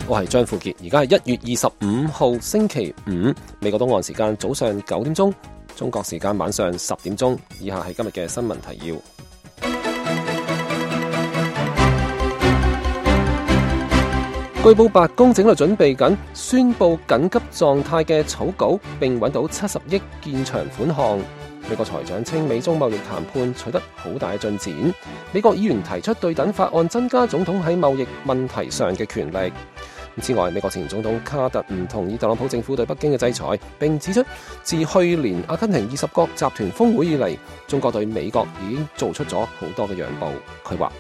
我係張富傑，而家係1月25號星期五，美國東岸時間早上9點鐘，中國時間晚上10點鐘。以下係今日嘅新聞提要。據報白宮正喺度準備緊宣布緊急狀態嘅草稿，並揾到70億建牆款項。美國財長稱美中貿易談判取得好大嘅進展。美國議員提出對等法案，增加總統喺貿易問題上嘅權力。此外，美國前總統卡特唔同意特朗普政府對北京嘅制裁，並指出自去年阿根廷20國集團峰會以嚟，中國對美國已經做出咗好多嘅讓步。佢話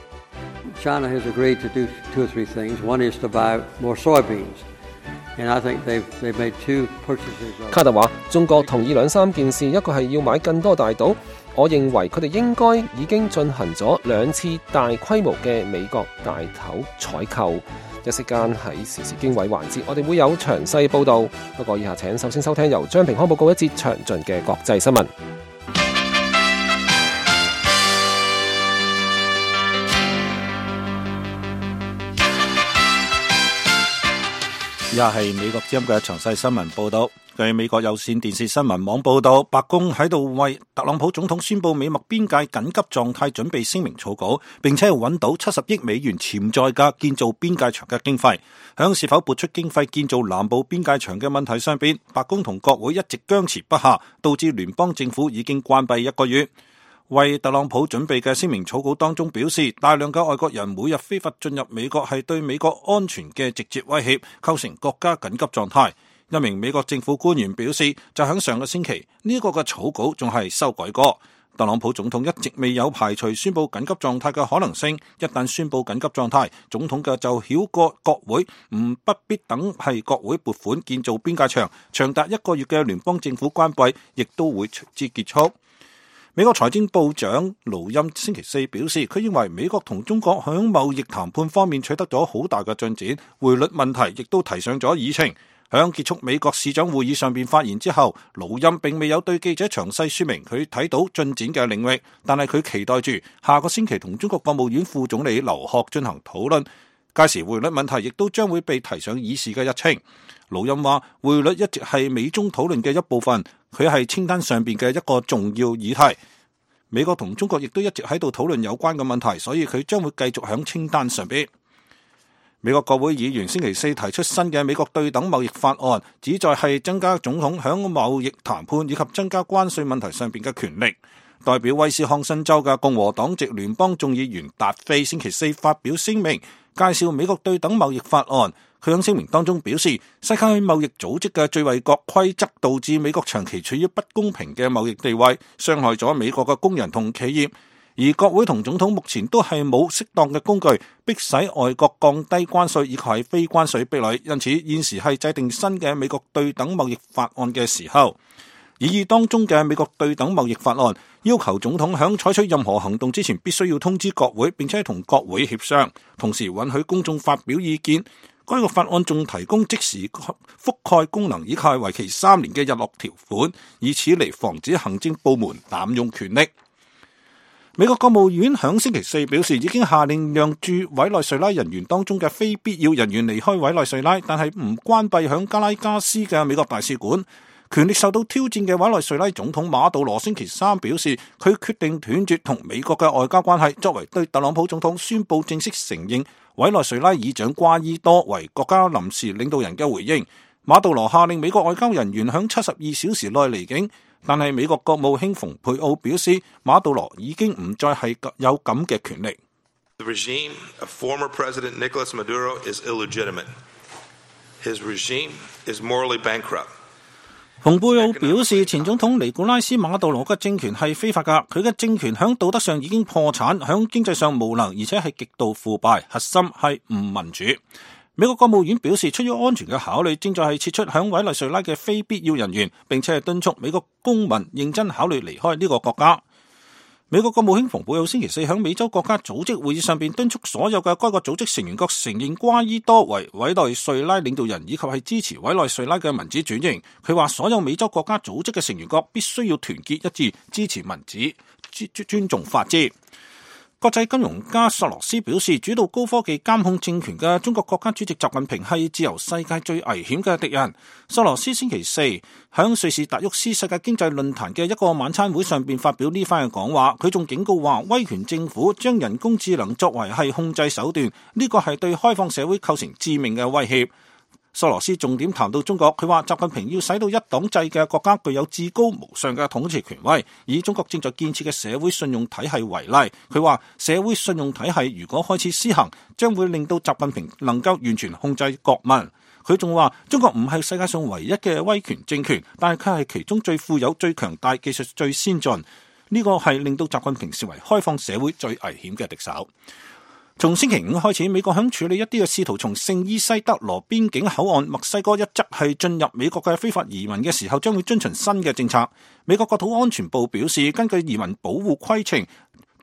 China has agreed to do two or three things. One is to buy more soybeans. And I think they've made two purchases. 卡特話中國同意2-3件事，一個係要買更多大島。我認為佢哋應該已經進行咗2次大規模嘅美國大頭採購。一息間喺時事經緯環節，我哋會有詳細報導。不過以下請首先收聽由張平康報告一節詳盡嘅國際新聞。以下係美國之音嘅詳細新聞報導。據美國有線電視新聞網報導，白宮喺度為特朗普總統宣布美墨邊界緊急狀態準備聲明草稿，並且係揾到70億美元潛在嘅建造邊界牆嘅經費。響是否撥出經費建造南部邊界牆嘅問題上邊，白宮同國會一直僵持不下，導致聯邦政府已經關閉1個月。為特朗普準備嘅聲明草稿當中表示，大量嘅外國人每日非法進入美國係對美國安全嘅直接威脅，構成國家緊急狀態。一名美國政府官員表示，就喺上個星期呢個嘅草稿仲係修改過。特朗普總統一直未有排除宣布緊急狀態嘅可能性。一旦宣布緊急狀態，總統嘅就繞過國會，不必等係國會撥款建造邊界牆，長達1個月嘅聯邦政府關閉亦都會隨之結束。美國財政部長盧欽星期4表示，佢認為美國同中國響貿易談判方面取得咗好大嘅進展，匯率問題亦都提上咗議程。響結束美國市長會議上邊發言之後，盧欽並未有對記者詳細說明佢睇到進展嘅領域，但係佢期待住下個星期同中國國務院副總理劉鶴進行討論，屆時匯率問題亦都將會被提上議事嘅日程。盧欽話，匯率一直係美中討論嘅一部分，佢係清單上邊嘅一個重要議題。美國同中國亦都一直喺度討論有關嘅問題，所以佢將會繼續響清單上邊。美國國會議員星期4提出新嘅美國對等貿易法案，旨在係增加總統響貿易談判以及增加關稅問題上邊嘅權力。代表威斯康辛州嘅共和黨籍聯邦眾議員達菲星期4發表聲明，介紹美國對等貿易法案。佢喺聲明當中表示，世界貿易組織嘅最惠國規則導致美國長期處於不公平嘅貿易地位，傷害咗美國嘅工人同企業。而國會同總統目前都係冇適當嘅工具，迫使外國降低關稅以及係非關稅壁壘，因此現時係制定新嘅美國對等貿易法案嘅時候。擬議當中嘅美國對等貿易法案要求總統響採取任何行動之前必須要通知國會，並且同國會協商，同時允許公眾發表意見。該個法案仲提供即時覆蓋功能，以及係為期3年嘅日落條款，以此嚟防止行政部門濫用權力。美國國務院響星期4表示，已經下令讓駐委內瑞拉人員當中嘅非必要人員離開委內瑞拉，但係唔關閉響加拉加斯嘅美國大使館。權力受到挑戰嘅委內瑞拉總統馬杜羅星期3表示，佢決定斷絕同美國嘅外交關係，作為對特朗普總統宣布正式承認委內瑞拉議長瓜伊多為國家臨時領導人嘅回應。馬杜羅下令美國外交人員響72小時內離境。但係美國國務卿蓬佩奧表示，馬杜羅已經唔再係有咁嘅權力。The regime of former President Nicolas Maduro is illegitimate. His regime is morally bankrupt. 蓬佩奧表示，前總統尼古拉斯馬杜羅嘅政權係非法㗎，佢嘅政權響道德上已經破產，響經濟上無能，而且係極度腐敗，核心係唔民主。美國國務院表示，出於安全嘅考慮，正在係撤出響委內瑞拉嘅非必要人員，並且係敦促美國公民認真考慮離開呢個國家。美國國務卿蓬佩奧星期4響美洲國家組織會議上邊敦促所有嘅該個組織成員國承認瓜伊多為委內瑞拉領導人，以及係支持委內瑞拉嘅民主轉型。佢話所有美洲國家組織嘅成員國必須要團結一致，支持民主，尊重法治。國際金融家索羅斯表示，主導高科技監控政權嘅中國國家主席習近平係自由世界最危險嘅敵人。索羅斯星期四響瑞士達沃斯世界經濟論壇嘅一個晚餐會上邊發表呢番嘅講話，佢仲警告話，威權政府將人工智能作為係控制手段，呢個係對開放社會構成致命嘅威脅。索羅斯重點談到中國，佢話習近平要使到一黨制嘅國家具有至高無上嘅統治權威，以中國正在建設嘅社會信用體系為例。佢話社會信用體系如果開始施行，將會令到習近平能夠完全控制國民。佢仲話中國唔係世界上唯一嘅威權政權，但係佢係其中最富有、最強大、技術最先進。呢個係令到習近平成為開放社會最危險嘅敵手。從星期五開始，美國響處理一啲嘅試圖從聖伊西德羅邊境口岸墨西哥一側係進入美國嘅非法移民嘅時候，將會遵循新嘅政策。美國國土安全部表示，根據移民保護規程，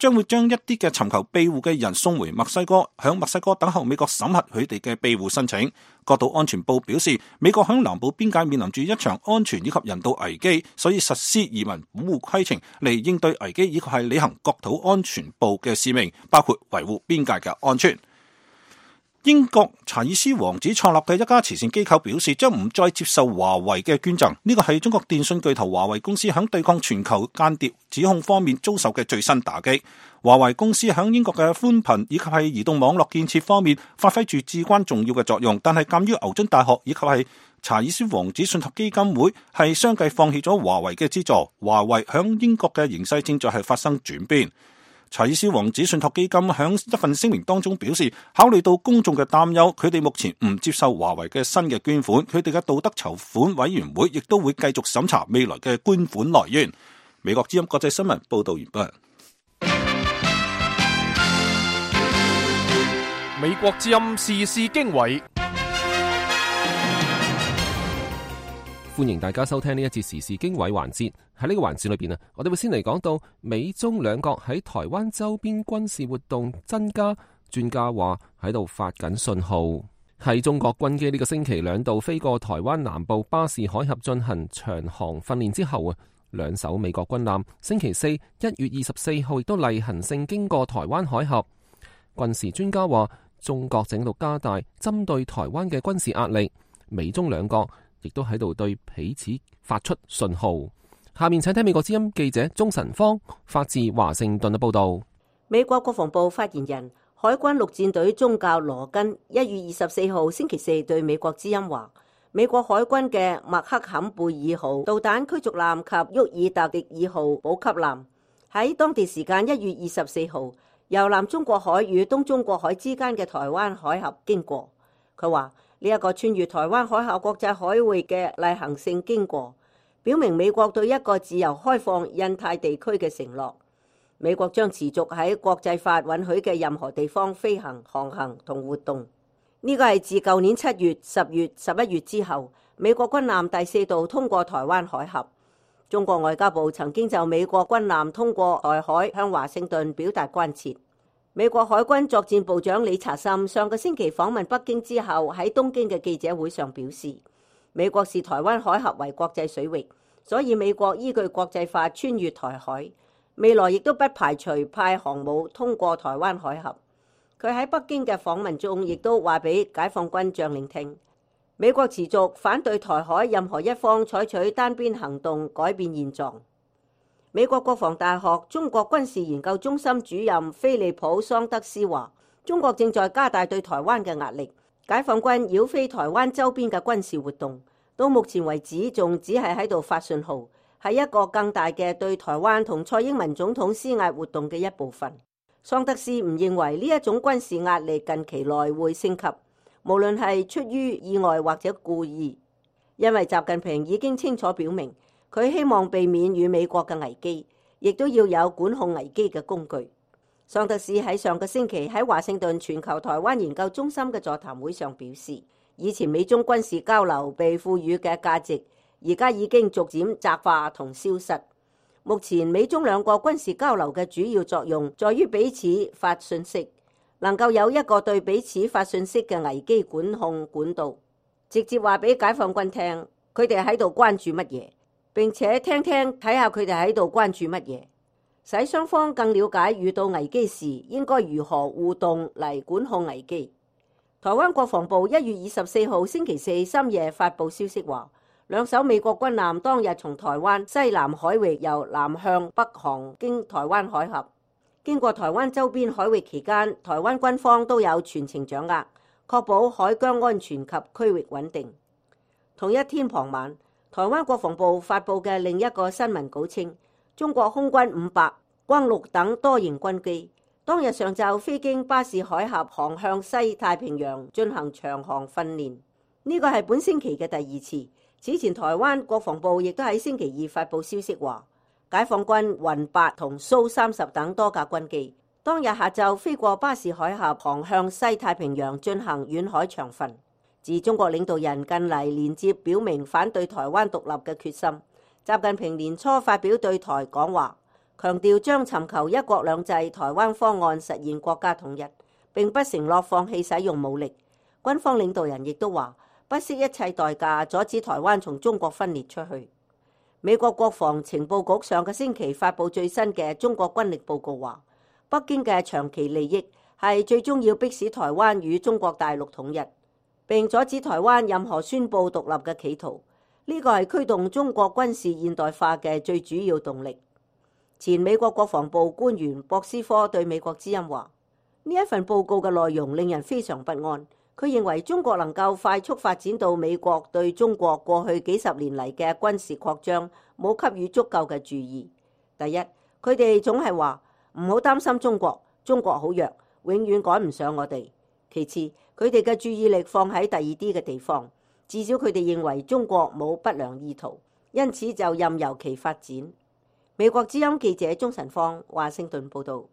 將會將一啲嘅尋求庇護嘅人送回墨西哥，響墨西哥等候美國審核佢哋嘅庇護申請。國土安全部表示，美國響南部邊界面臨住一場安全以及人道危機，所以實施移民保護規程嚟應對危機，以及係履行國土安全部嘅使命，包括維護邊界嘅安全。英國查爾斯王子創立嘅一家慈善機構表示，將唔再接受華為嘅捐贈。呢個係中國電信巨頭華為公司響對抗全球間諜指控方面遭受嘅最新打擊。華為公司響英國嘅寬頻以及係移動網絡建設方面發揮住至關重要嘅作用，但係鑒於牛津大學以及係查爾斯王子信託基金會係相繼放棄咗華為嘅資助，華為響英國嘅形勢正在係發生轉變。查爾斯王子信託基金響一份聲明當中表示，考慮到公眾嘅擔憂，佢哋目前唔接受華為嘅新嘅捐款，佢哋嘅道德籌款委員會亦都會繼續審查未來嘅捐款來源。美國之音國際新聞報道完畢。美國之音時事經緯，歡迎大家收聽呢一節時事經緯環節。喺呢個環節裏邊我哋會先嚟講到美中兩國喺台灣周邊軍事活動增加，專家話喺度發緊信號。喺中國軍機呢個星期兩度飛過台灣南部巴士海峽進行長航訓練之後兩艘美國軍艦星期四1月24號亦都例行性經過台灣海峽。軍事專家話，中國正喺度加大針對台灣嘅軍事壓力，美中兩國亦都喺度對彼此發出信號。下面請睇美國之音記者鍾晨芳發自華盛頓嘅報道。美國國防部發言人、海軍陸戰隊中校羅根1月24號星期四對美國之音話，美國海軍嘅麥克坎貝爾號導彈驅逐艦及沃爾特迪爾號補給艦喺當地時間1月24號由南中國海與東中國海之間嘅台灣海峽經過。佢話呢一個穿越台灣海峽國際海域嘅例行性經過，表明美國對一個自由開放印太地區嘅承諾。美國將持續喺國際法允許嘅任何地方飛行、航行同活動。呢個係自舊年7月、10月、11月之後，美國軍艦第4度通過台灣海峽。中國外交部曾經就美國軍艦通過台海向華盛頓表達關切。美國海軍作戰部長理查森上個星期訪問北京之後，喺東京嘅記者會上表示，美國視台灣海峽為國際水域，所以美國依據國際法穿越台海，未來亦都不排除派航母通過台灣海峽。佢喺北京嘅訪問中亦都話俾解放軍將領聽，美國持續反對台海任何一方採取單邊行動改變現狀。美國國防大學中國軍事研究中心主任菲利普桑德斯話，中國正在加大對台灣嘅壓力，解放軍繞飛台灣周邊嘅軍事活動到目前為止仲只係喺度發信號，係一個更大嘅對台灣同蔡英文總統施壓活動嘅一部分。桑德斯唔認為呢一種軍事壓力近期內會升級，無論係出於意外或者故意，因為習近平已經清楚表明，佢希望避免與美國嘅危機，亦都要有管控危機嘅工具。桑德斯喺上個星期喺華盛頓全球台灣研究中心嘅座談會上表示，以前美中軍事交流被賦予嘅價值，而家已經逐漸窄化同消失。目前美中兩國軍事交流嘅主要作用在於彼此發信息，能夠有一個對彼此發信息嘅危機管控管道，直接話俾解放軍聽佢哋喺度關注乜嘢，並且聽睇下佢哋喺度關注乜嘢。使雙方更了解遇到危機時應該如何互動嚟管控危機。台灣國防部1月24號星期四深夜發布消息話，兩艘美國軍艦當日從台灣西南海域由南向北航經台灣海峽，經過台灣周邊海域期間，台灣軍方都有全程掌握，確保海疆安全及區域穩定。同一天傍晚，台灣國防部發布嘅另一個新聞稿稱，中國空軍500、轟六等多型軍機當日上晝飛經巴士海峽航向西太平洋進行長航訓練，呢個係本星期嘅第二次。此前台灣國防部亦都喺星期二發布消息話，解放軍雲8同蘇30等多架軍機當日下晝飛過巴士海峽航向西太平洋進行遠海長訓。自中國領導人近嚟連接表明反對台灣獨立嘅決心，習近平年初發表對台講話，強調將尋求一國兩制台灣方案實現國家統一，並不承諾放棄使用武力。軍方領導人亦都話，不惜一切代價阻止台灣從中國分裂出去。美國國防情報局上個星期發布最新嘅中國軍力報告話，北京嘅長期利益係最終要迫使台灣與中國大陸統一，並阻止台灣任何宣布獨立嘅企圖。呢個係驅動中國軍事現代化嘅最主要動力。前美國國防部官員博斯科對美國之音話，呢一份報告嘅內容令人非常不安。佢認為中國能夠快速發展到美國對中國過去幾十年嚟嘅軍事擴張冇給予足夠嘅注意。第一，佢哋總係話唔好擔心中國，中國好弱，永遠趕唔上我哋。其次，佢哋嘅注意力放喺第二啲嘅地方，至少佢哋認為中國冇不良意圖，因此就任由其發展。美國之音記者鍾晨芳，華盛頓報導。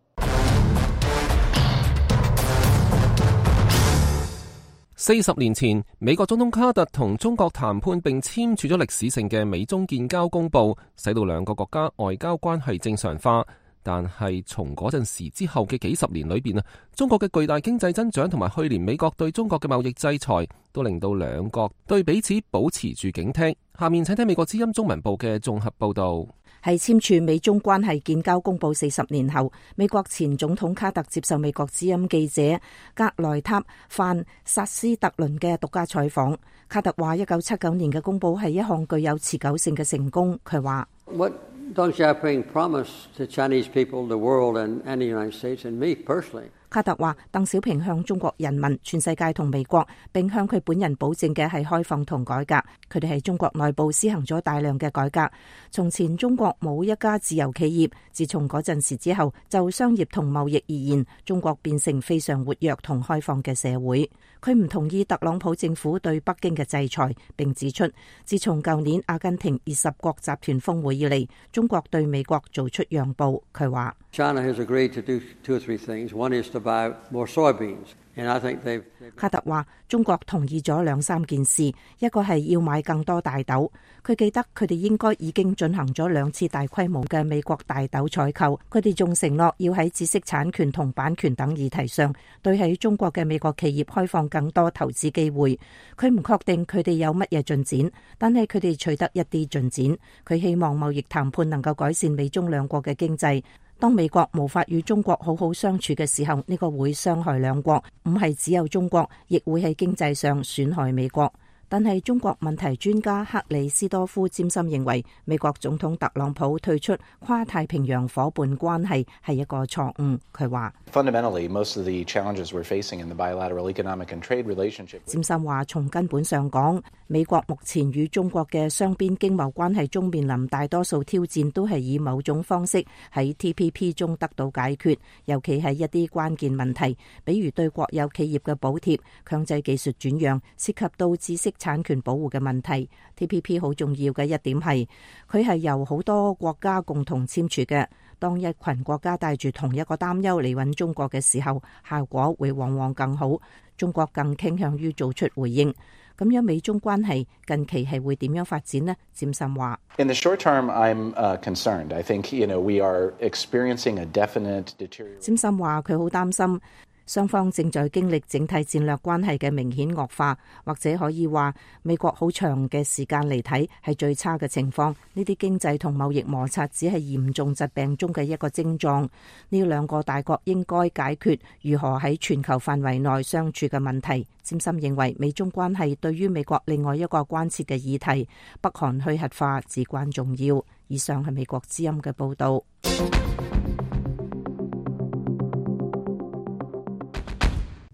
40年前，美國總統卡特同中國談判並簽署咗歷史性嘅美中建交公報，使到兩個國家外交關係正常化。但係從嗰陣時之後嘅幾十年裏邊啊，中國嘅巨大經濟增長同埋去年美國對中國嘅貿易制裁，都令到兩國對彼此保持住警惕。下面請聽美國之音中文部嘅綜合報導。係簽署美中關係建交公報40年後，美國前總統卡特接受美國之音記者格萊塔范薩斯特倫嘅獨家採訪。卡特話1979年嘅公報係一項具有持久性嘅成功。佢話What Deng Xiaoping promised to Chinese people, the world, and the United States, and me personally. 卡特話，鄧小平向中國人民、全世界同美國，並向佢本人保證嘅係開放同改革。佢哋喺中國內部施行咗大量嘅改革。從前中國冇一家自由企業，自從嗰陣時之後，就商業同貿易而言，中國變成非常活躍同開放嘅社會。佢唔同意特朗普政府對北京嘅制裁，並指出，自從舊年阿根廷20國集團峰會以嚟，中國對美國做出讓步。佢話China has agreed to do 2 or 3 things. One is to buy more soybeans. And I think they've 卡特話，中國同意咗2-3件事，一個係要買更多大豆。佢記得佢哋應該已經進行咗2次大規模嘅美國大豆採購。佢哋仲承諾要喺知識產權同版權等議題上，對喺中國嘅美國企業開放更多投資機會。佢唔確定佢哋有乜嘢進展，但係佢哋取得一啲進展。佢希望貿易談判能夠改善美中兩國嘅經濟。當美國無法與中國好好相處嘅時候，呢個會傷害兩國，唔係只有中國，亦會喺經濟上損害美國。但係中國問題專家克里斯多夫詹森認為，美國總統特朗普退出跨太平洋夥伴關係係一個錯誤。佢話Fundamentally, most of the challenges we're facing in the bilateral economic and trade relationship. 詹森話，從根本上講，美國目前與中國嘅雙邊經貿關係中面臨大多數挑戰，都係以某種方式喺 TPP 中得到解決，尤其係一啲關鍵問題，比如對國有企業嘅補貼、強制技術轉讓、涉及到知識產權保護嘅問題。TPP 好重要嘅一點係，佢係由好多國家共同簽署嘅。當一群國家帶住同一個擔憂嚟揾中國嘅時候，效果會往往更好。中國更傾向於做出回應。咁樣美中關係近期係會點樣發展呢？詹森話 In the short term, I'm concerned. I think, we are experiencing a definite deterioration. 詹森話佢好擔心。雙方正在經歷整體戰略關係嘅明顯惡化，或者可以話美國好長嘅時間嚟睇係最差嘅情況。呢啲經濟同貿易摩擦只係嚴重疾病中嘅一個症狀。呢兩個大國應該解決如何喺全球範圍內相處嘅問題。詹森認為美中關係對於美國另外一個關切嘅議題北韓去核化至關重要。以上係美國之音嘅報導。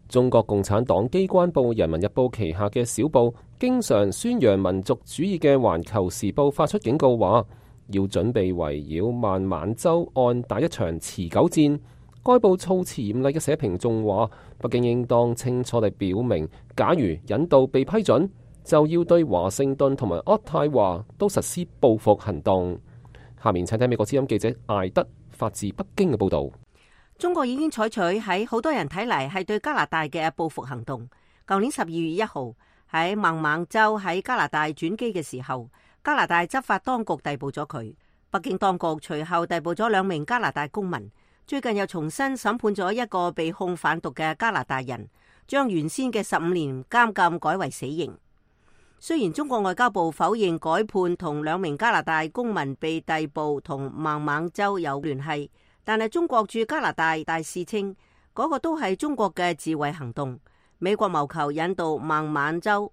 中國共產黨機關報《人民日報》旗下嘅小報，經常宣揚民族主義嘅《環球時報》發出警告話，要準備圍繞孟晚舟案打一場持久戰。該報措辭嚴厲嘅社評仲話，北京應當清楚地表明，假如引渡被批准，就要對華盛頓同埋渥太華都實施報復行動。下面請睇美國之音記者艾德發自北京嘅報導。中國已經採取喺好多人睇嚟係對加拿大嘅報復行動。舊年12月1號喺孟晚舟喺加拿大轉機嘅時候，加拿大執法當局逮捕咗佢。北京當局隨後逮捕咗2名加拿大公民。最近又重新審判咗一個被控販毒嘅加拿大人，將原先嘅15年監禁改為死刑。雖然中國外交部否認改判同2名加拿大公民被逮捕同孟晚舟有聯繫，但係中國駐加拿大大使稱嗰個都係中國嘅自衛行動。美國謀求引渡孟晚舟，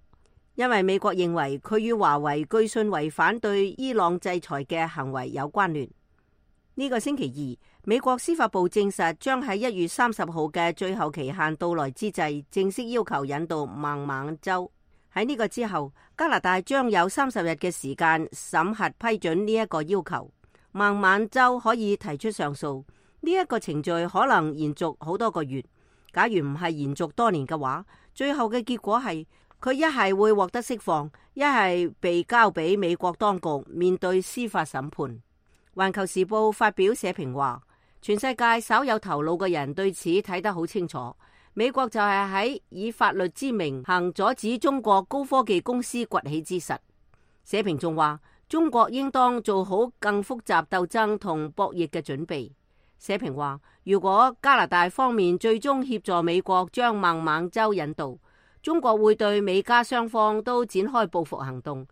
因為美國認為佢與華為據信違反對伊朗制裁嘅行為有關聯。呢個星期二，美國司法部證實將喺1月30號嘅最後期限到來之際，正式要求引渡孟晚舟。喺呢個之後，加拿大將有30日嘅時間審核批准呢一個要求。孟晚舟可以提出上訴，呢一個程序可能延續好多個月。假如唔係延續多年嘅話，最後嘅結果係佢一係會獲得釋放，一係被交俾美國當局面對司法審判。環球時報發表社評話，全世界稍有頭腦嘅人對此睇得好清楚。美國就係喺以法律之名行阻止中國高科技公司崛起之實。社評仲話，中國應當做好更複雜鬥爭同博弈嘅準備。社評話，如果加拿大方面最終協助美國將孟晚舟引渡，中國會對美加雙方都展開報復行動。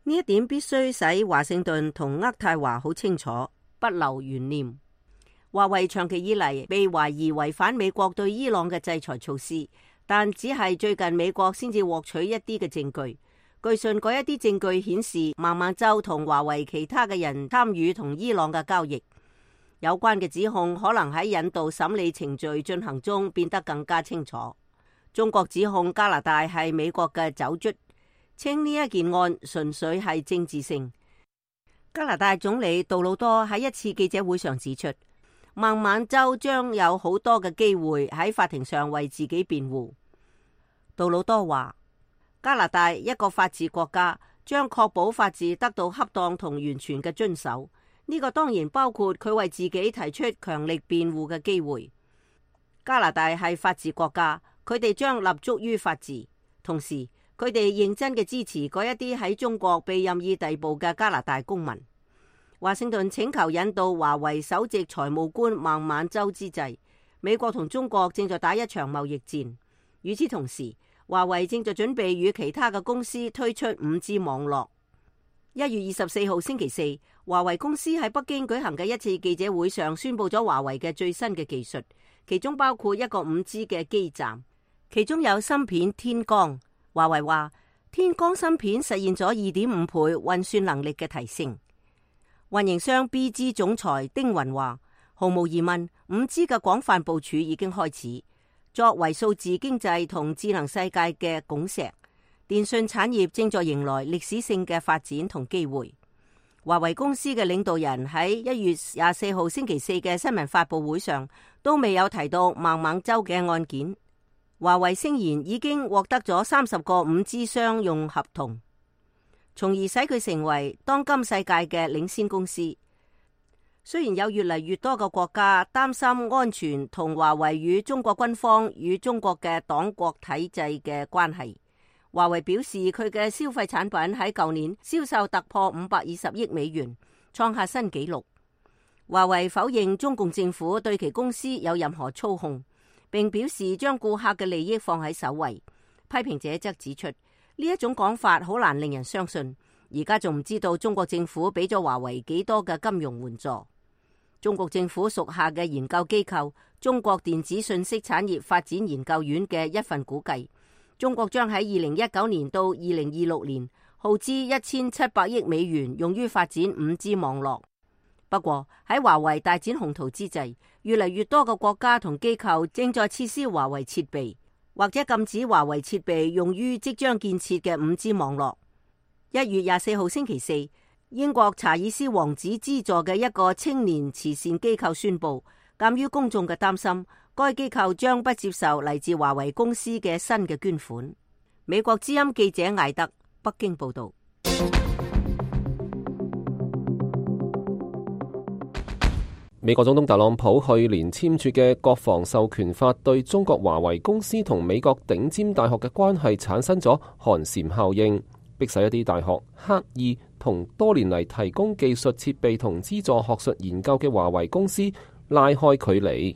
呢一點必須使華盛頓同渥太華好清楚，不留懸念。華為長期以嚟被懷疑違反美國對伊朗嘅制裁措施，但只係最近美國先至獲取一啲嘅證據。據信嗰一啲證據顯示孟晚舟同華為其他嘅人參與同伊朗嘅交易。有關嘅指控可能喺引渡審理程序進行中變得更加清楚。中國指控加拿大係美國嘅走卒，稱呢一件案純粹係政治性。加拿大總理杜魯多喺一次記者會上指出，孟晚舟將有好多嘅機會喺法庭上為自己辯護。杜魯多話，加拿大一個法治國家將確保法治得到恰當同完全嘅遵守，呢個當然包括佢為自己提出強力辯護嘅機會。加拿大係法治國家，佢哋將立足於法治，同時佢哋認真嘅支持嗰一啲喺中國被任意逮捕嘅加拿大公民。華盛頓請求引渡華為首席財務官孟晚舟之際，美國同中國正在打一場貿易戰。與此同時，華為正在準備與其他嘅公司推出 5G 網絡。1月24號星期四，華為公司喺北京舉行嘅一次記者會上宣布咗華為嘅最新嘅技術，其中包括一個 5G 嘅基站，其中有芯片天光。華為話，天光芯片實現咗2.5倍運算能力嘅提升。運營商 BG 總裁丁雲話，毫無疑問 5G 嘅廣泛部署已經開始。作為數字經濟同智能世界嘅拱石，電信產業正在迎來歷史性嘅發展同機會。華為公司嘅領導人喺1月24號星期四嘅新聞發佈會上都未有提到孟晚舟嘅案件。華為聲言已經獲得咗30個 5G 商用合同，從而使佢成為當今世界嘅領先公司。雖然有越嚟越多嘅國家擔心安全同華為與中國軍方與中國嘅黨國體制嘅關係，華為表示佢嘅消費產品喺舊年銷售突破520億美元，創下新紀錄。華為否認中共政府對其公司有任何操控。並表示將顧客嘅利益放喺首位。批評者則指出，呢一種講法好難令人相信。而家仲唔知道中國政府俾咗華為幾多嘅金融援助。中國政府屬下嘅研究機構中國電子信息產業發展研究院嘅一份估計，中國將喺2019年到2026年耗資1700億美元用於發展 5G 網絡。不過喺華為大展宏圖之際，越嚟越多嘅國家同機構正在撤銷華為設備，或者禁止華為設備用於即將建設嘅 5G 網絡。1月24號星期四，英國查爾斯王子資助嘅一個青年慈善機構宣布，鑒於公眾嘅擔心，該機構將不接受嚟自華為公司嘅新嘅捐款。美國之音記者艾德北京報道。美國總統特朗普去年簽署嘅國防授權法對中國華為公司同美國頂尖大學嘅關係產生咗寒蟬效應，迫使一啲大學刻意同多年嚟提供技術設備同資助學術研究嘅華為公司拉開距離。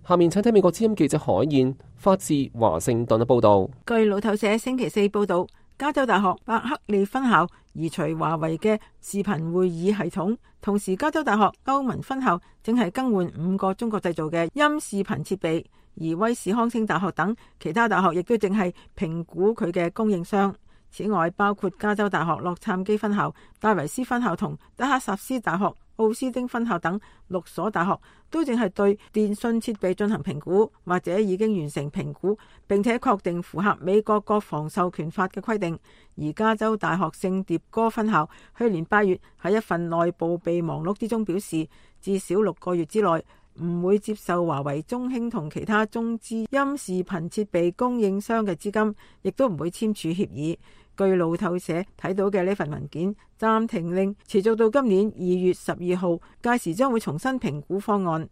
下面請睇美國之音記者海燕發自華盛頓嘅報道。據路透社星期四報道，加州大學伯克利分校移除華為嘅視頻會議系統，同時加州大學歐文分校正係更換5個中國製造嘅音視頻設備，而威斯康星大學等其他大學亦都正係評估佢嘅供應商。此外，包括加州大學洛杉磯分校、戴維斯分校同德克薩斯大學奧斯丁分校等6所大學都正係對電信設備進行評估，或者已經完成評估，並且確定符合美國國防授權法嘅規定。而加州大學聖迭戈分校去年8月喺一份內部備忘錄之中表示，至少6個月之內唔會接受華為、中興同其他中資音視頻設備供應商嘅資金，亦都唔會簽署協議。據路透社睇到嘅呢份文件，暫停令持續到今年2月12號，屆時將會重新評估方案。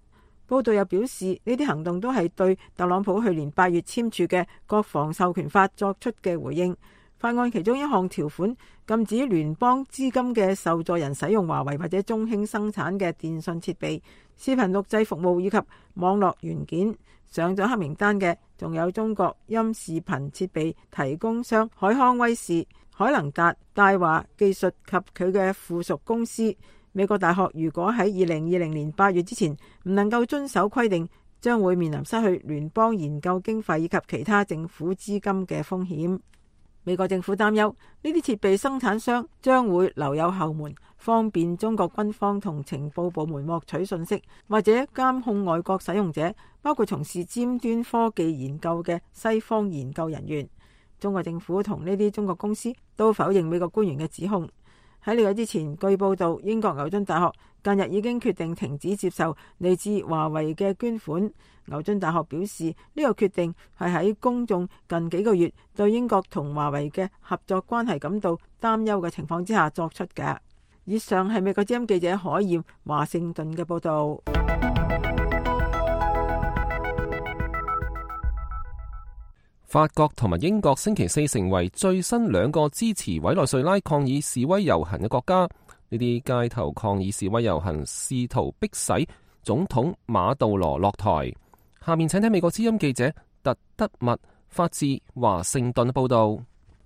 報道又表示，呢啲行動都係對特朗普去年8月簽署嘅國防授權法作出嘅回應。法案其中一項條款禁止聯邦資金嘅受助人使用華為或者中興生產嘅電信設備、視頻錄製服務以及網絡元件。上咗黑名單嘅仲有中國音視頻設備提供商海康威視、海能達、大華技術及佢嘅附屬公司。美國大學如果喺2020年8月之前唔能夠遵守規定，將會面臨失去聯邦研究經費以及其他政府資金嘅風險。美國政府擔憂呢啲設備生產商將會留有後門，方便中國軍方同情報部門獲取信息，或者監控外國使用者，包括從事尖端科技研究嘅西方研究人員。中國政府同呢啲中國公司都否認美國官員嘅指控。喺呢個之前，據報道，英國牛津大學近日已經決定停止接受嚟自華為嘅捐款。牛津大學表示，呢個決定係喺公眾近幾個月對英國同華為嘅合作關係感到擔憂嘅情況之下作出嘅。以上係美國之音記者海燕華盛頓嘅報道。法國同埋英國星期四成為最新2個支持委內瑞拉抗議示威遊行嘅國家。呢啲街頭抗議示威遊行試圖迫使總統馬杜羅落台。下面請聽美國之音記者特德密發自華盛頓報道。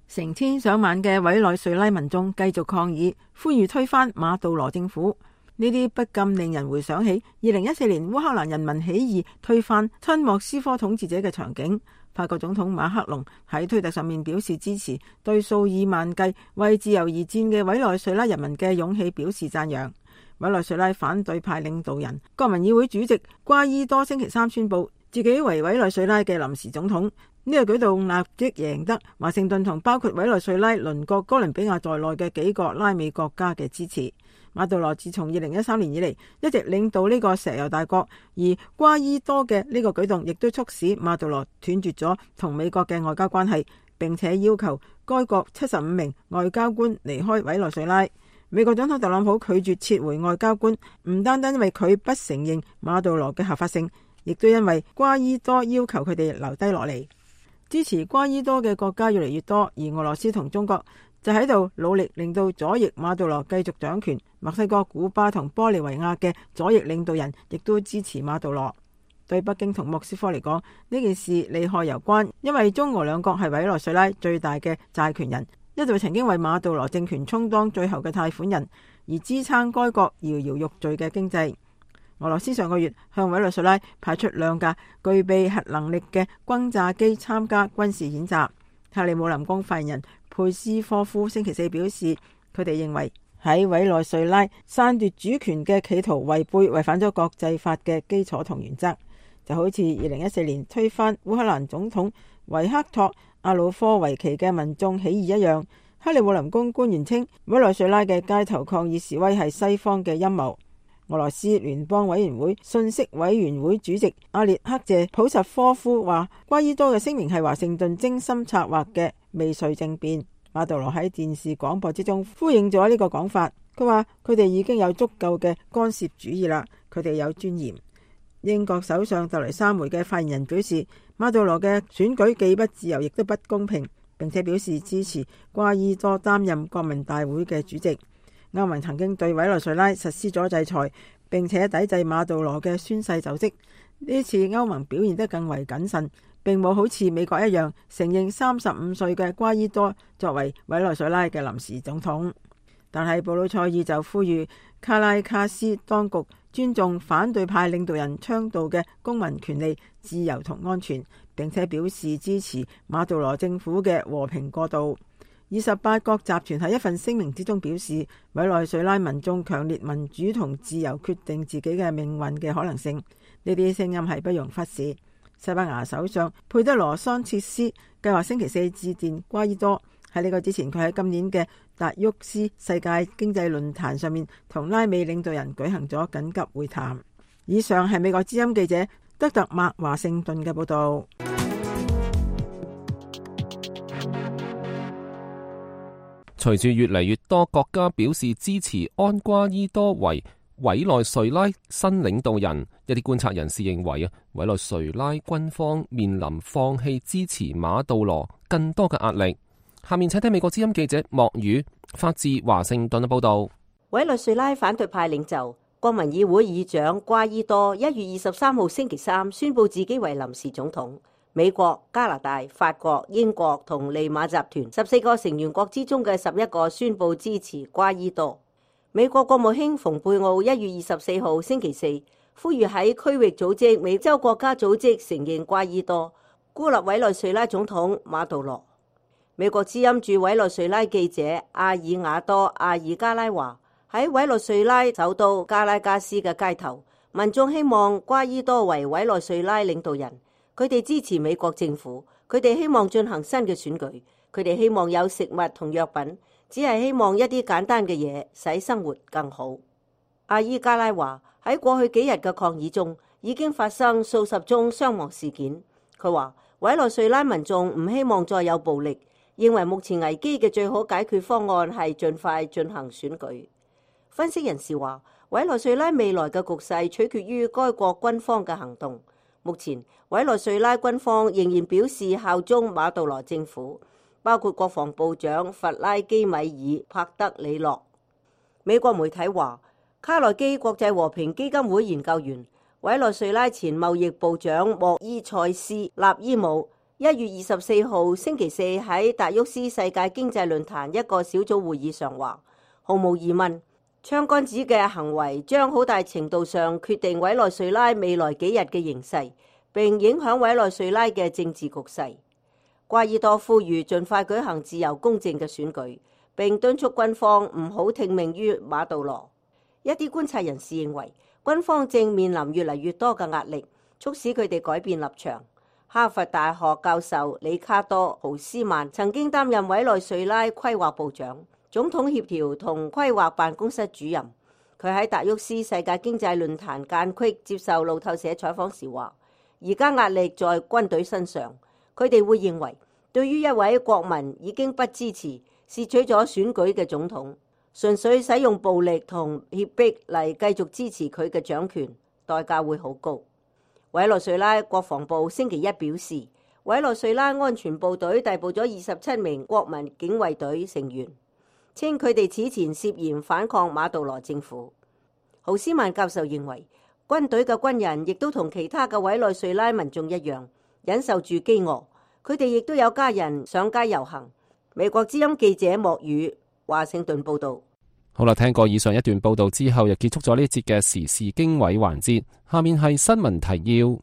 成千上萬嘅委內瑞拉民眾繼續抗議，呼籲推翻馬杜羅政府。呢啲不禁令人回想起2014年烏克蘭人民起義推翻親莫斯科統治者嘅場景。法國總統馬克龍喺推特上面表示支持，對數以萬計為自由而戰嘅委內瑞拉人民嘅勇氣表示讚揚。委內瑞拉反對派領導人、國民議會主席瓜伊多星期三宣布自己為委內瑞拉嘅臨時總統。呢個舉動立即贏得華盛頓同包括委內瑞拉鄰國哥倫比亞在內嘅幾個拉美國家嘅支持。馬杜羅自從2013年以嚟一直領導呢個石油大國，而瓜伊多嘅呢個舉動亦都促使馬杜羅斷絕咗同美國嘅外交關係，並且要求該國75名外交官離開委內瑞拉。美國總統特朗普拒絕撤回外交官，唔單單因為佢不承認馬杜羅嘅合法性，亦都因為瓜伊多要求佢哋留低落嚟。支持瓜伊多嘅國家越嚟越多，而俄羅斯同中國就喺度努力令到左翼馬杜羅繼續掌權。墨西哥、古巴同玻利維亞嘅左翼領導人亦都支持馬杜羅。對北京同莫斯科嚟講，呢件事利害攸關，因為中俄兩國係委內瑞拉最大嘅債權人，一度曾經為馬杜羅政權充當最後嘅貸款人，而支撐該國搖搖欲墜嘅經濟。俄羅斯上個月向委內瑞拉派出2架具備核能力嘅轟炸機參加軍事演習。克里姆林宮發言人佩斯科夫星期四表示，佢哋認為喺委內瑞拉篡奪主權嘅企圖違反咗國際法嘅基礎同原則，就好似2014年推翻烏克蘭總統維克托·亞努科維奇嘅民眾起義一樣。克里姆林宮官員稱，委內瑞拉嘅街頭抗議示威係西方嘅陰謀。俄羅斯聯邦委員會信息委員會主席阿列克謝普什科夫話，瓜伊多嘅聲明係華盛頓精心策劃嘅未遂政變。馬杜羅喺電視廣播之中呼應咗呢個講法，佢話佢哋已經有足夠嘅干涉主義啦，佢哋有尊嚴。英國首相特雷莎梅嘅發言人表示，馬杜羅嘅選舉既不自由亦都不公平，並且表示支持瓜伊多擔任國民大會嘅主席。歐盟曾經對委內瑞拉實施咗制裁，並且抵制馬杜羅嘅宣誓就職。呢次歐盟表現得更為謹慎，並冇好似美國一樣承認35歲嘅瓜伊多作為委內瑞拉嘅臨時總統。但係布魯塞爾就呼籲卡拉卡斯當局尊重反對派領導人倡導嘅公民權利、自由同安全，並且表示支持馬杜羅政府嘅和平過渡。28國集團喺一份聲明之中表示，委內瑞拉民眾強烈民主同自由決定自己嘅命運嘅可能性，呢啲聲音係不容忽視。西班牙首相佩德羅桑切斯計劃星期四致電瓜伊多。喺呢個之前，佢喺今年嘅達沃斯世界經濟論壇上面同拉美領導人舉行咗緊急會談。以上係美國之音記者德特麥華盛頓嘅報道。隨住越嚟越多國家表示支持安瓜伊多為委內瑞拉新領導人，一啲觀察人士認為委內瑞拉軍方面臨放棄支持馬杜羅更多嘅壓力。下面請聽美國之音記者莫宇發自華盛頓嘅報道。委內瑞拉反對派領袖、國民議會議長瓜伊多1月23號星期三宣布自己為臨時總統。美國、加拿大、法國、英國同利馬集團14個成員國之中嘅11個宣布支持瓜伊多。美國國務卿蓬佩奧1月24號星期四呼籲喺區域組織美洲國家組織承認瓜伊多，孤立委內瑞拉總統馬杜羅。美國之音駐委內瑞拉記者阿爾瓦多·阿爾加拉話，喺委內瑞拉首都加拉加斯嘅街頭，民眾希望瓜伊多為委內瑞拉領導人。佢哋支持美國政府，佢哋希望進行新嘅選舉，佢哋希望有食物同藥品，只係希望一啲簡單嘅嘢，使生活更好。阿伊加拉話，喺過去幾日嘅抗議中，已經發生數十宗傷亡事件。佢話委內瑞拉民眾唔希望再有暴力，認為目前危機嘅最好解決方案係盡快進行選舉。分析人士話，委內瑞拉未來嘅局勢取決於該國軍方嘅行動。目前委內瑞拉軍方仍然表示效忠馬杜羅政府，包括國防部長弗拉基米爾帕德里諾。美國媒體話，卡內基國際和平基金會研究員、委內瑞拉前貿易部長莫伊塞斯納伊姆1月24號星期四喺達沃斯世界經濟論壇一個小組會議上話，毫無疑問，槍桿子嘅行為將好大程度上決定委內瑞拉未來幾日嘅形勢，並影響委內瑞拉嘅政治局勢。瓜伊多呼籲盡快舉行自由公正嘅選舉，並敦促軍方唔好聽命於馬杜羅。一啲觀察人士認為，軍方正面臨越嚟越多嘅壓力，促使佢哋改變立場。哈佛大學教授里卡多·豪斯曼曾經擔任委內瑞拉規劃部長、總統協調同規劃辦公室主任。佢喺達沃斯世界經濟論壇間隙接受路透社採訪時話，而家壓力在軍隊身上，佢哋會認為對於一位國民已經不支持、竊取咗選舉嘅總統，純粹使用暴力同脅迫嚟繼續支持佢嘅掌權，代價會好高。委內瑞拉國防部星期一表示，委內瑞拉安全部隊逮捕咗27名國民警衛隊成員，稱佢哋此前涉嫌反抗馬杜羅政府。豪斯曼教授認為，軍隊嘅軍人亦都同其他嘅委內瑞拉民眾一樣，忍受住飢餓。佢哋亦都有家人上街遊行。美國之音記者莫宇華盛頓報道。好啦，聽過以上一段報道之後，又結束咗呢節嘅時事經緯環節。下面係新聞提要。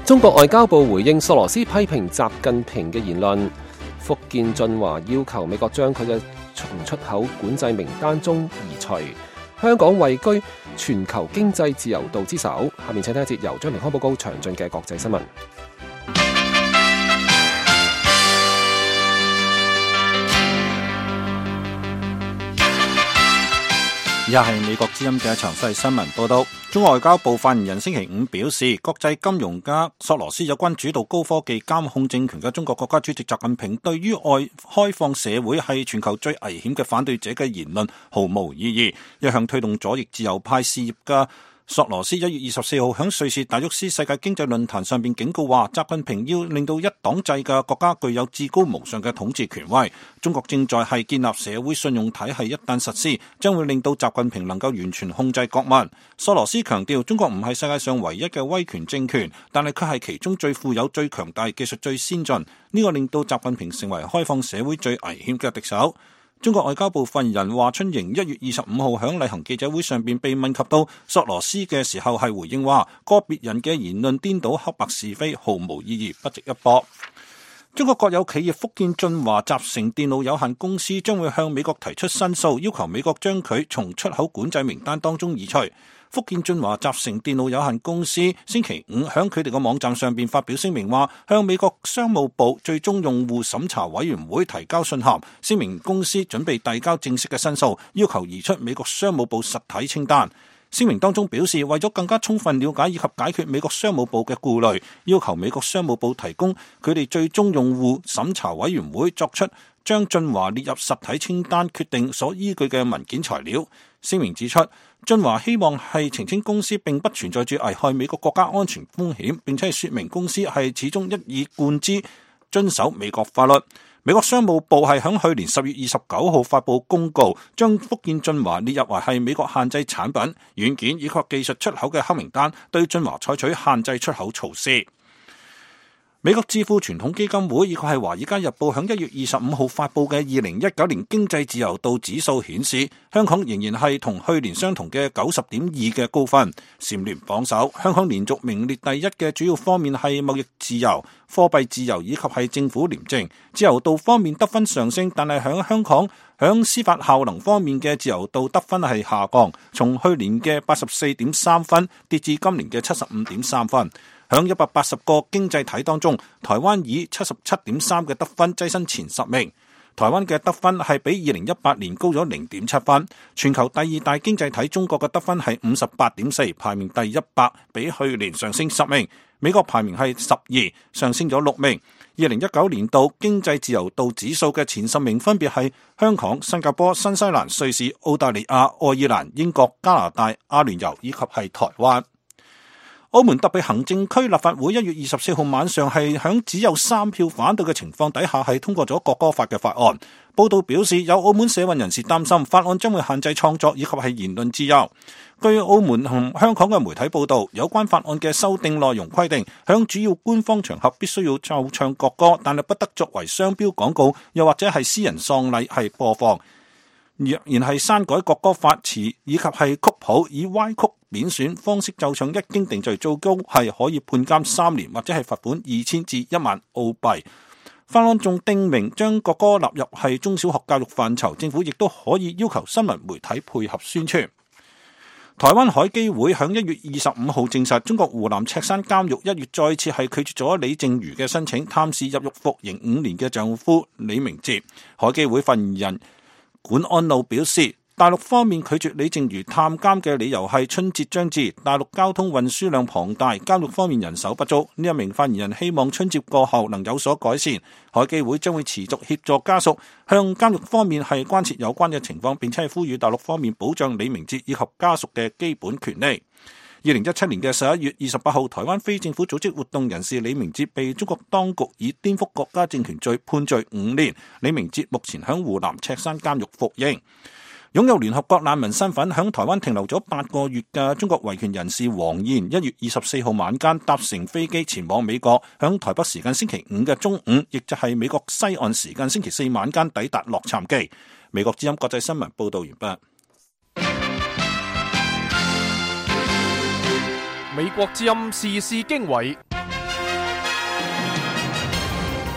中國外交部回應索羅斯批評習近平嘅言論。福建晉華要求美國將佢嘅從出口管制名單中移除。香港位居全球經濟自由度之首。下面請聽一節由張明康報告詳盡嘅國際新聞。以下係美國之音嘅詳細新聞報道。中國外交部發言人星期五表示，國際金融家索羅斯有關主導高科技監控政權嘅中國國家主席習近平對於外開放社會係全球最危險嘅反對者嘅言論毫無意義。一向推動左翼自由派事業嘅索羅斯1月24號響瑞士達沃斯世界經濟論壇上邊警告話，習近平要令到一黨制嘅國家具有至高無上嘅統治權威。中國正在係建立社會信用體系，一旦實施，將會令到習近平能夠完全控制國民。索羅斯強調，中國唔係世界上唯一嘅威權政權，但係佢係其中最富有、最強大、技術最先進。呢個令到習近平成為開放社會最危險嘅敵手。中國外交部發言人華春瑩1月25號響例行記者會上邊被問及到索羅斯嘅時候，係回應話個別人嘅言論顛倒黑白是非，毫無意義，不值一駁。中國國有企業福建晉華集成電路有限公司將會向美國提出申訴，要求美國將佢從出口管制名單當中移除。福建晉華集成電路有限公司星期五響佢哋嘅網站上邊發表聲明話，向美國商務部最終用戶審查委員會提交信函，聲明公司準備遞交正式嘅申訴，要求移出美國商務部實體清單。聲明當中表示，為咗更加充分了解以及解決美國商務部嘅顧慮，要求美國商務部提供佢哋最終用戶審查委員會作出將晉華列入實體清單決定所依據嘅文件材料。聲明指出，晉華希望係澄清公司並不存在住危害美國國家安全風險，並且係說明公司係始終一以貫之遵守美國法律。美國商務部係響去年10月29號發布公告，將福建晉華列入為係美國限制產品、軟件以及技術出口嘅黑名單，對晉華採取限制出口措施。美國智庫傳統基金會以及係華爾街日報響1月25號發布嘅2019年經濟自由度指數顯示，香港仍然係同去年相同嘅90.2嘅高分，蟬聯榜首。香港連續名列第一嘅主要方面係貿易自由、貨幣自由以及係政府廉政。自由度方面得分上升，但係響香港響司法效能方面嘅自由度得分係下降，從去年嘅84.3分跌至今年嘅75.3分。響180個經濟體當中，台灣以77.3嘅得分躋身前10名。台灣嘅得分係比2018年高咗0.7分。全球第二大經濟體中國嘅得分係58.4，排名第100，比去年上升10名。美國排名係12，上升咗6名。2019年度經濟自由度指數嘅前10名分別係香港、新加坡、新西蘭、瑞士、澳大利亞、愛爾蘭、英國、加拿大、阿聯酋以及係台灣。澳門特別行政區立法會1月24號晚上係響只有3票反對嘅情況底下係通過咗國歌法嘅法案。報道表示，有澳門社運人士擔心法案將會限制創作以及係言論自由。據澳門同香港嘅媒體報道，有關法案嘅修訂內容規定，響主要官方場合必須要奏唱國歌，但係不得作為商標廣告，又或者係私人喪禮係播放。若然係刪改國歌法詞以及係曲譜，以歪曲貶損方式奏唱，一經定罪，最高係可以判監3年或者係罰款2000至1萬澳幣。法案仲訂明將國歌納入係中小學教育範疇，政府亦都可以要求新聞媒體配合宣傳。台灣海基會響1月25號證實，中國湖南赤山監獄1月再次係拒絕咗李淨瑜嘅申請，探視入獄服刑5年嘅丈夫李明哲。海基會發言人管安路表示，大陸方面拒絕李淨瑜探監嘅理由係春節將至，大陸交通運輸量龐大，監獄方面人手不足。呢一名發言人希望春節過後能有所改善。海基會將會持續協助家屬向監獄方面係關切有關嘅情況，並且係呼籲大陸方面保障李明哲以及家屬嘅基本權利。2017年嘅11月28號，台灣非政府組織活動人士李明哲被中國當局以顛覆國家政權罪判罪5年。李明哲目前響湖南赤山監獄服刑。擁有聯合國難民身份響台灣停留咗8個月嘅中國維權人士黃燕1月24號晚間搭乘飛機前往美國，響台北時間星期5嘅中午，亦就係美國西岸時間星期4晚間抵達洛杉磯。美國之音國際新聞報道完畢。美國之音時事經緯，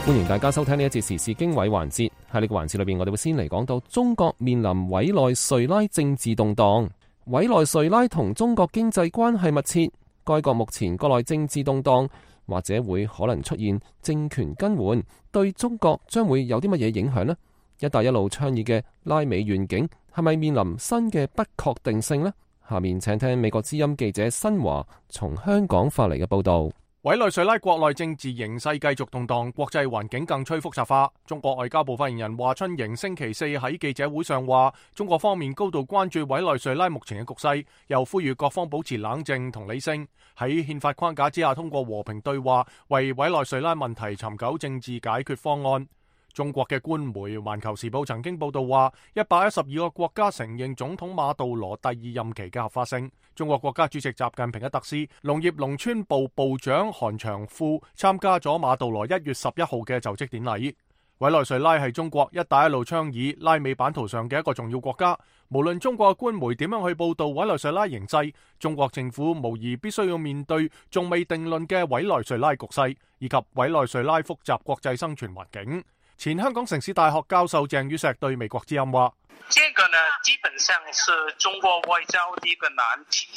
歡迎大家收聽呢一節時事經緯環節。喺呢個環節裏邊，我哋會先嚟講到中國面臨委內瑞拉政治動盪。委內瑞拉同中國經濟關係密切，該國目前國內政治動盪，或者會可能出現政權更換，對中國將會有啲乜嘢影響呢？一帶一路倡議嘅拉美願景係咪面臨新嘅不確定性呢？下面請聽美國之音記者新華從香港發嚟嘅報道。委內瑞拉國內政治形勢繼續動盪，國際環境更趨複雜化。中國外交部發言人華春瑩星期四喺記者會上話，中國方面高度關注委內瑞拉目前嘅局勢，又呼籲各方保持冷靜同理性，喺憲法框架之下通過和平對話，為委內瑞拉問題尋求政治解決方案。中國嘅官媒《環球時報》曾經報道話，112個國家承認總統馬杜羅第2任期嘅合法性。中國國家主席習近平嘅特使、農業農村部部長韓長富參加咗馬杜羅1月11號嘅就職典禮。委內瑞拉係中國一帶一路倡議拉美版圖上嘅一個重要國家。無論中國嘅官媒點樣去報道委內瑞拉形勢，中國政府無疑必須要面對仲未定論嘅委內瑞拉局勢，以及委內瑞拉複雜國際生存環境。前香港城市大學教授鄭宇碩對美國之音話：這個呢，基本上是中國外交的一個難題。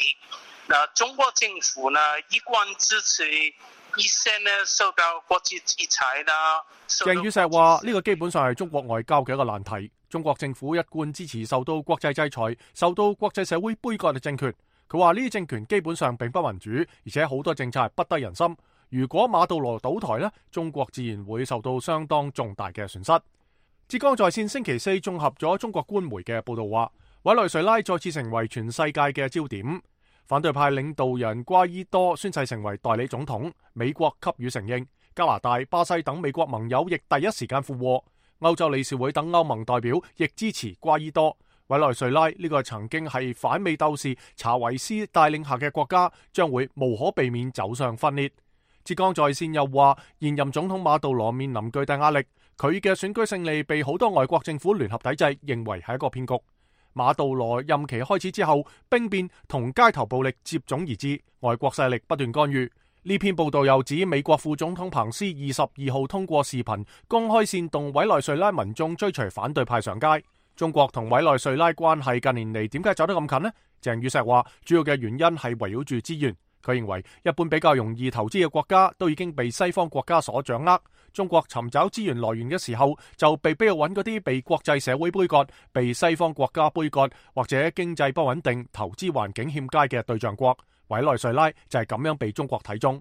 那中國政府呢，一貫支持一些呢受到國際制裁啦。鄭宇碩話：呢個基本上係中國外交嘅一個難題。中國政府一貫支持受到國際制裁、受到國際社會杯葛嘅政權。佢話呢啲政權基本上並不民主，而且好多政策係不得人心。如果馬杜羅倒台呢，中國自然會受到相當重大嘅損失。浙江在線星期四綜合咗中國官媒嘅報道話，委內瑞拉再次成為全世界嘅焦點。反對派領導人瓜伊多宣誓成為代理總統，美國給予承認，加拿大、巴西等美國盟友亦第一時間附和，歐洲理事會等歐盟代表亦支持瓜伊多。委內瑞拉呢個曾經係反美鬥士查維斯帶領下嘅國家，將會無可避免走上分裂。浙江在線又話，現任總統馬杜羅面臨巨大壓力，佢嘅選舉勝利被好多外國政府聯合抵制，認為係一個騙局。馬杜羅任期開始之後，兵變同街頭暴力接踵而至，外國勢力不斷干預。呢篇報道又指美國副總統彭斯22號通過視頻公開煽動委內瑞拉民眾追隨反對派上街。中國同委內瑞拉關係近年嚟點解走得咁近呢？鄭宇碩話，主要嘅原因係圍繞住資源。佢認為一般比較容易投資嘅國家都已經被西方國家所掌握。中國尋找資源來源嘅時候，就被逼要揾嗰啲被國際社會杯葛、被西方國家杯葛或者經濟不穩定、投資環境欠佳嘅對象國。委內瑞拉就係咁樣被中國睇中。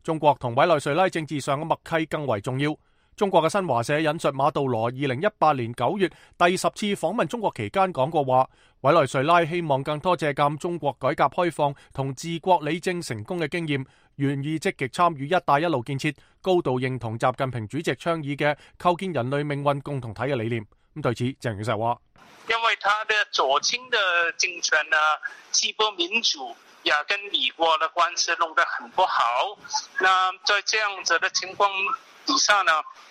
中國同委內瑞拉政治上嘅默契更為重要。中國嘅新華社引述馬杜羅2018年9月第10次訪問中國期間講過話，委內瑞拉希望更多借鑒中國改革開放同治國理政成功嘅經驗，願意積極參與一帶一路建設，高度認同習近平主席倡議嘅構建人類命運共同體嘅理念。咁對此，鄭宇碩話：因為他的左傾的政權呢，既不民主，也跟美國的關係弄得很不好。那在這樣子的情況底下呢，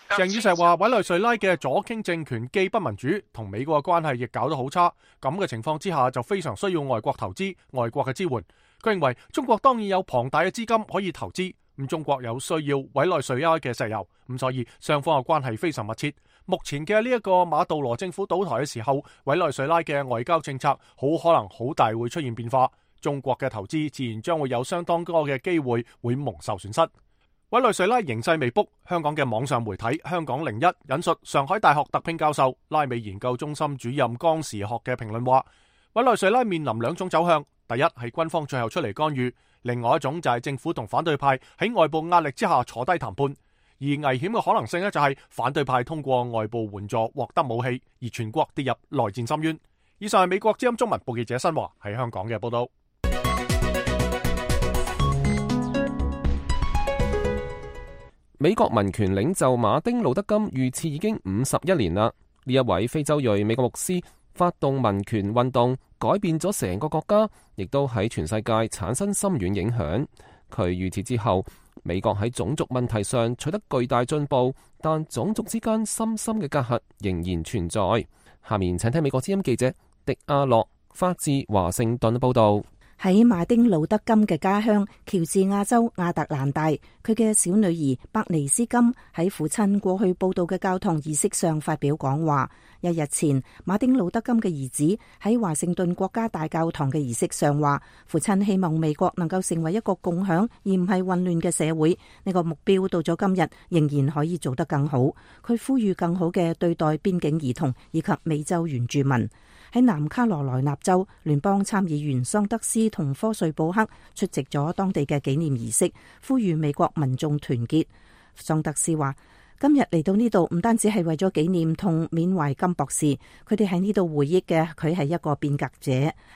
鄭宇碩話，委內瑞拉嘅左傾政權既不民主，同美國嘅關係亦搞得好差。咁嘅情況之下，就非常需要外國投資、外國嘅支援。佢認為中國當然有龐大嘅資金可以投資，咁中國有需要委內瑞拉嘅石油，咁所以雙方嘅關係非常密切。目前嘅呢一個馬杜羅政府倒台嘅時候，委內瑞拉嘅外交政策好可能好大會出現變化，中國嘅投資自然將會有相當多嘅機會會蒙受損失。委內瑞拉形勢未卜，香港嘅網上媒體香港01引述上海大學特聘教授、拉美研究中心主任江時學嘅評論話，委內瑞拉面臨兩種走向，第一係軍方最後出嚟干預，另外一種就係政府同反對派喺外部壓力之下坐低談判，而危險嘅可能性呢，就係反對派通過外部援助獲得武器，而全國跌入內戰深淵。以上係美國之音中文部記者新華喺香港嘅報道。美國民權領袖馬丁路德金遇刺已經51年啦。呢一位非洲裔美國牧師發動民權運動，改變咗成個國家，亦都喺全世界產生深遠影響。佢遇刺之後，美國喺種族問題上取得巨大進步，但種族之間深深嘅隔閡仍然存在。下面請聽美國之音記者迪亞洛發自華盛頓報道。喺馬丁路德金嘅家鄉喬治亞州亞特蘭大，佢嘅小女兒伯尼斯金喺父親過去報道嘅教堂儀式上發表講話。一日前，馬丁路德金嘅兒子喺華盛頓國家大教堂嘅儀式上話，父親希望美國能夠成為一個共享而唔係混亂嘅社會。呢個目標到咗今日仍然可以做得更好。佢呼籲更好嘅對待邊境兒童以及美洲原住民。喺南卡羅來納州，聯邦參議員桑德斯同科瑞布克出席咗當地嘅紀念儀式，呼籲美國民眾團結。桑德斯話：今日嚟到呢度唔單止係為咗紀念同緬懷金博士，佢哋喺呢度回憶嘅佢係一個變革者，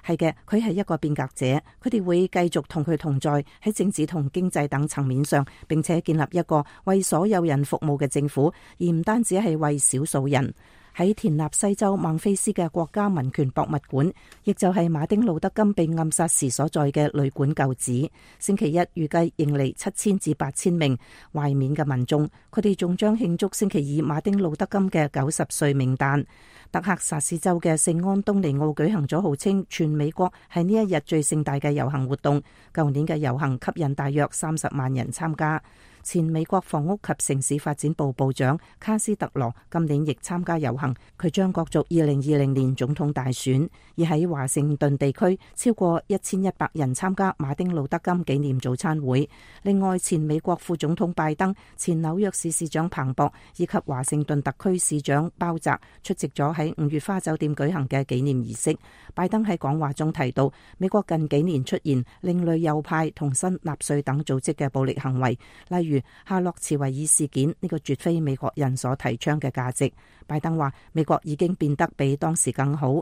係嘅，佢係一個變革者。佢哋會繼續同佢同在喺政治同經濟等層面上，並且建立一個為所有人服務嘅政府，而唔單止係為少數人。喺田納西州孟菲斯嘅國家民權博物館，亦就係馬丁路德金被暗殺時所在嘅旅館舊址，星期一預計迎嚟7000至8000名懷緬嘅民眾，佢哋仲將慶祝星期二馬丁路德金嘅90歲冥誕。德克薩斯州嘅聖安東尼奧舉行咗號稱全美國係呢一日最盛大嘅遊行活動，舊年嘅遊行吸引大約30萬人參加。前美國房屋及城市發展部部長卡斯特羅今年亦參加遊行，佢將角逐2020年總統大選。而喺華盛頓地區，超過1100人參加馬丁路德金紀念早餐會。另外，前美國副總統拜登、前紐約市市長彭博以及華盛頓特區市長鮑澤出席咗喺5月花酒店舉行嘅紀念儀式。拜登喺講話中提到，美國近幾年出現另類右派同新納粹等組織嘅暴力行為，例如夏洛茨維爾事件，呢個絕非美國人所提倡嘅價值。拜登話：美國已經變得比當時更好，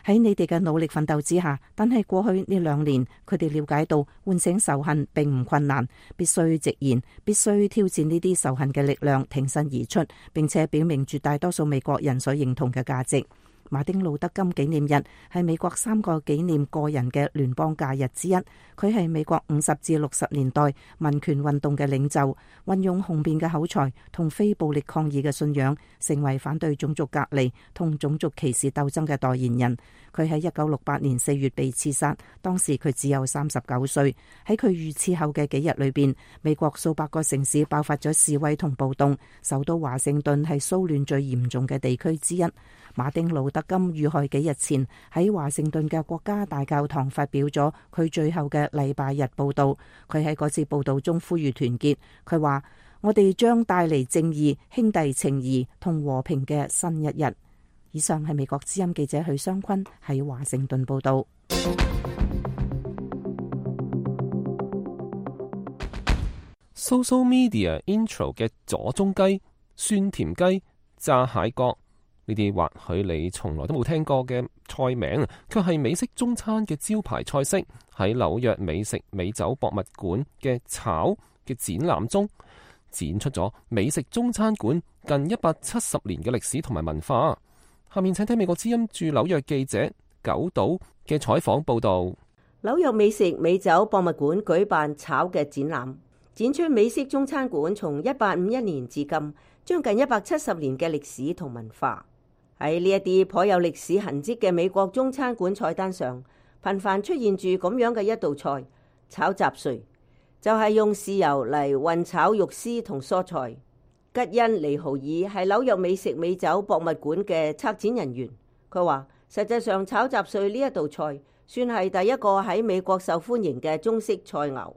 喺你哋嘅努力奮鬥之下，但係過去呢2年，佢哋了解到喚醒仇恨並唔困難，必須直言，必須挑戰呢啲仇恨嘅力量，挺身而出，並且表明絕大多數美國人所認同嘅價值。馬丁路德金紀念日係美國3個紀念個人嘅聯邦假日之一。佢係美國50至60年代民權運動嘅領袖，運用雄辯嘅口才同非暴力抗議嘅信仰，成為反對種族隔離同種族歧視鬥爭嘅代言人。佢喺1968年4月被刺殺，當時佢只有39歲。喺佢遇刺後嘅幾日裏邊，美國數百個城市爆發咗示威同暴動，首都華盛頓係騷亂最嚴重嘅地區之一。馬丁路德金遇害幾日前，喺華盛頓嘅國家大教堂發表咗佢最後嘅禮拜日報道。佢喺嗰次報道中呼籲團結，佢話：我哋將帶嚟正義、兄弟情誼同和平嘅新一日。以上係美國之音記者許湘坤喺華盛頓報道。Social Media Intro 嘅左中雞、酸甜雞、炸蟹角，呢啲或許你從來都冇聽過嘅菜名，卻係美式中餐嘅招牌菜式。喺紐約美食美酒博物館嘅炒嘅展覽中，展出咗美食中餐館近170年嘅歷史同埋文化。下面請聽美國之音駐紐約記者九島嘅採訪報道。紐約美食美酒博物館舉辦炒嘅展覽，展出美式中餐館從1851年至今將近170年嘅歷史同文化。喺呢一啲頗有歷史痕跡嘅美國中餐館菜單上，頻繁出現住咁樣嘅一道菜——炒雜碎，就係用豉油嚟混炒肉絲同蔬菜。吉恩尼豪爾係紐約美食美酒博物館嘅策展人員，佢話：實際上炒雜碎呢一道菜算係第一個喺美國受歡迎嘅中式菜餚。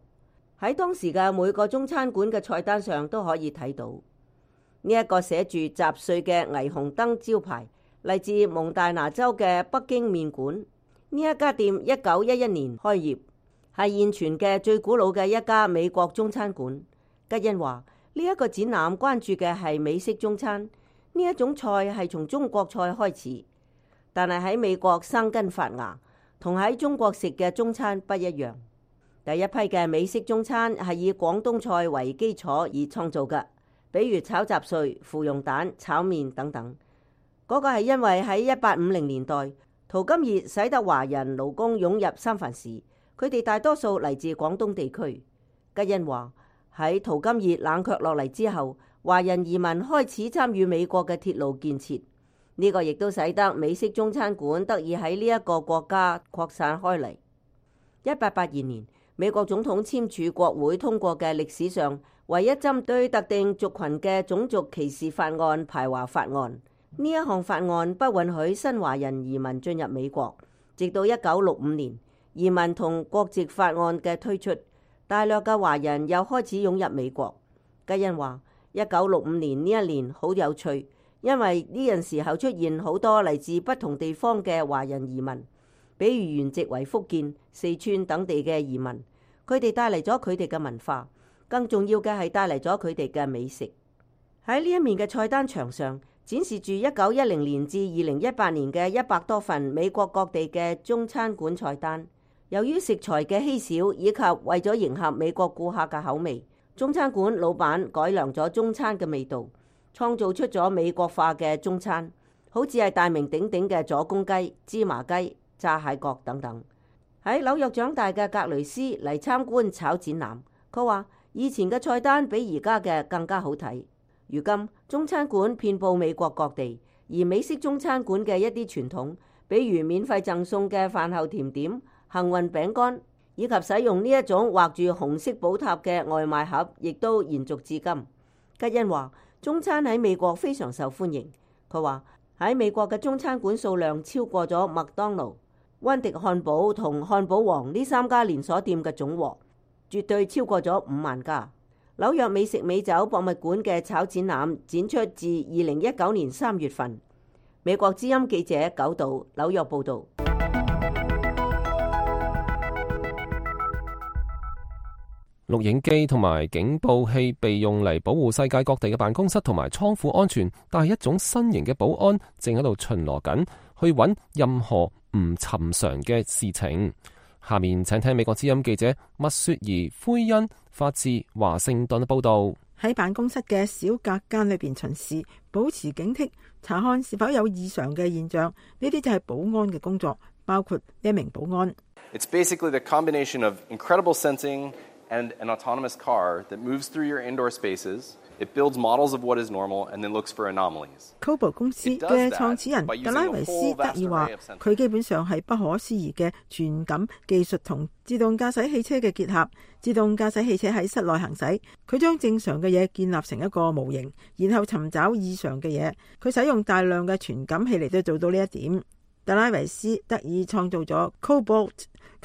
喺當時嘅每個中餐館嘅菜單上都可以睇到呢一個寫住雜碎嘅霓虹燈招牌，嚟自蒙大拿州嘅北京麵館。呢一家店1911年開業，係現存嘅最古老嘅一家美國中餐館。吉恩話：呢一個展覽關注嘅係美式中餐，呢一種菜係從中國菜開始，但係喺美國生根發芽，同喺中國食嘅中餐不一樣。第一批嘅美式中餐係以廣東菜為基礎而創造嘅，比如炒雜碎、芙蓉蛋、炒麵等等。嗰個係因為喺1850年代淘金熱使得華人勞工湧入三藩市，佢哋大多數嚟自廣東地區。吉恩話喺淘金熱冷卻落嚟之後，華人移民開始參與美國嘅鐵路建設，呢個亦都使得美式中餐館得以喺呢一個國家擴散開嚟。1882年，美國總統簽署國會通過嘅歷史上唯一針對特定族群嘅種族歧視法案——排華法案。呢一項法案不允許新華人移民進入美國，直到1965年，移民同國籍法案嘅推出，大量嘅華人又開始湧入美國。吉恩話：1965年呢一年好有趣，因為呢陣時候出現好多嚟自不同地方嘅華人移民，比如原籍為福建、四川等地嘅移民，佢哋帶嚟咗佢哋嘅文化，更重要嘅係帶嚟咗佢哋嘅美食。喺呢一面嘅菜單牆上，展示住1910年至2018年嘅100多份美國各地嘅中餐館菜單。由於食材嘅稀少，以及為咗迎合美國顧客嘅口味，中餐館老闆改良咗中餐嘅味道，創造出咗美國化嘅中餐，好似係大名鼎鼎嘅左公雞、芝麻雞、炸蟹角等等。喺紐約長大嘅格雷斯嚟參觀炒展覽，佢話以前嘅菜單比而家嘅更加好睇。如今中餐館遍佈美國各地，而美式中餐館嘅一啲傳統，比如免費贈送嘅飯後甜點、幸運餅乾，以及使用呢一種畫住紅色寶塔嘅外賣盒，亦都延續至今。吉恩話中餐喺美國非常受歡迎。佢話喺美國嘅中餐館數量超過咗麥當勞、溫迪漢堡同漢堡王呢3家連鎖店嘅總和，絕對超過咗5萬家。紐約美食美酒博物館嘅炒展覽展出自2019年3月份。美國之音記者九道紐約報道。錄影機同埋警報器被用嚟保護世界各地嘅辦公室同埋倉庫安全，但係一種新型嘅保安正喺度巡邏緊，去揾任何唔尋常嘅事情。下面請聽美國之音記者麥雪兒灰恩發自華盛頓報道。喺辦公室嘅小隔間裏邊巡視，保持警惕，查看是否有異常嘅現象。呢啲就係保安嘅工作，包括呢一名保安。It's basically the combination of incredible sensing and an autonomous car that moves through your indoor spaces. It builds models of what is normal and then looks for anomalies. Kobo 公司嘅創始人特拉維斯德爾話，佢基本上係不可思議嘅傳感技術同自動駕駛汽車嘅結合。自動駕駛汽車喺室內行駛，佢將正常嘅嘢建立成一個模型，然後尋找異常嘅嘢。佢使用大量嘅傳感器嚟到做到呢一點。特拉維斯德爾創造咗 Cobalt，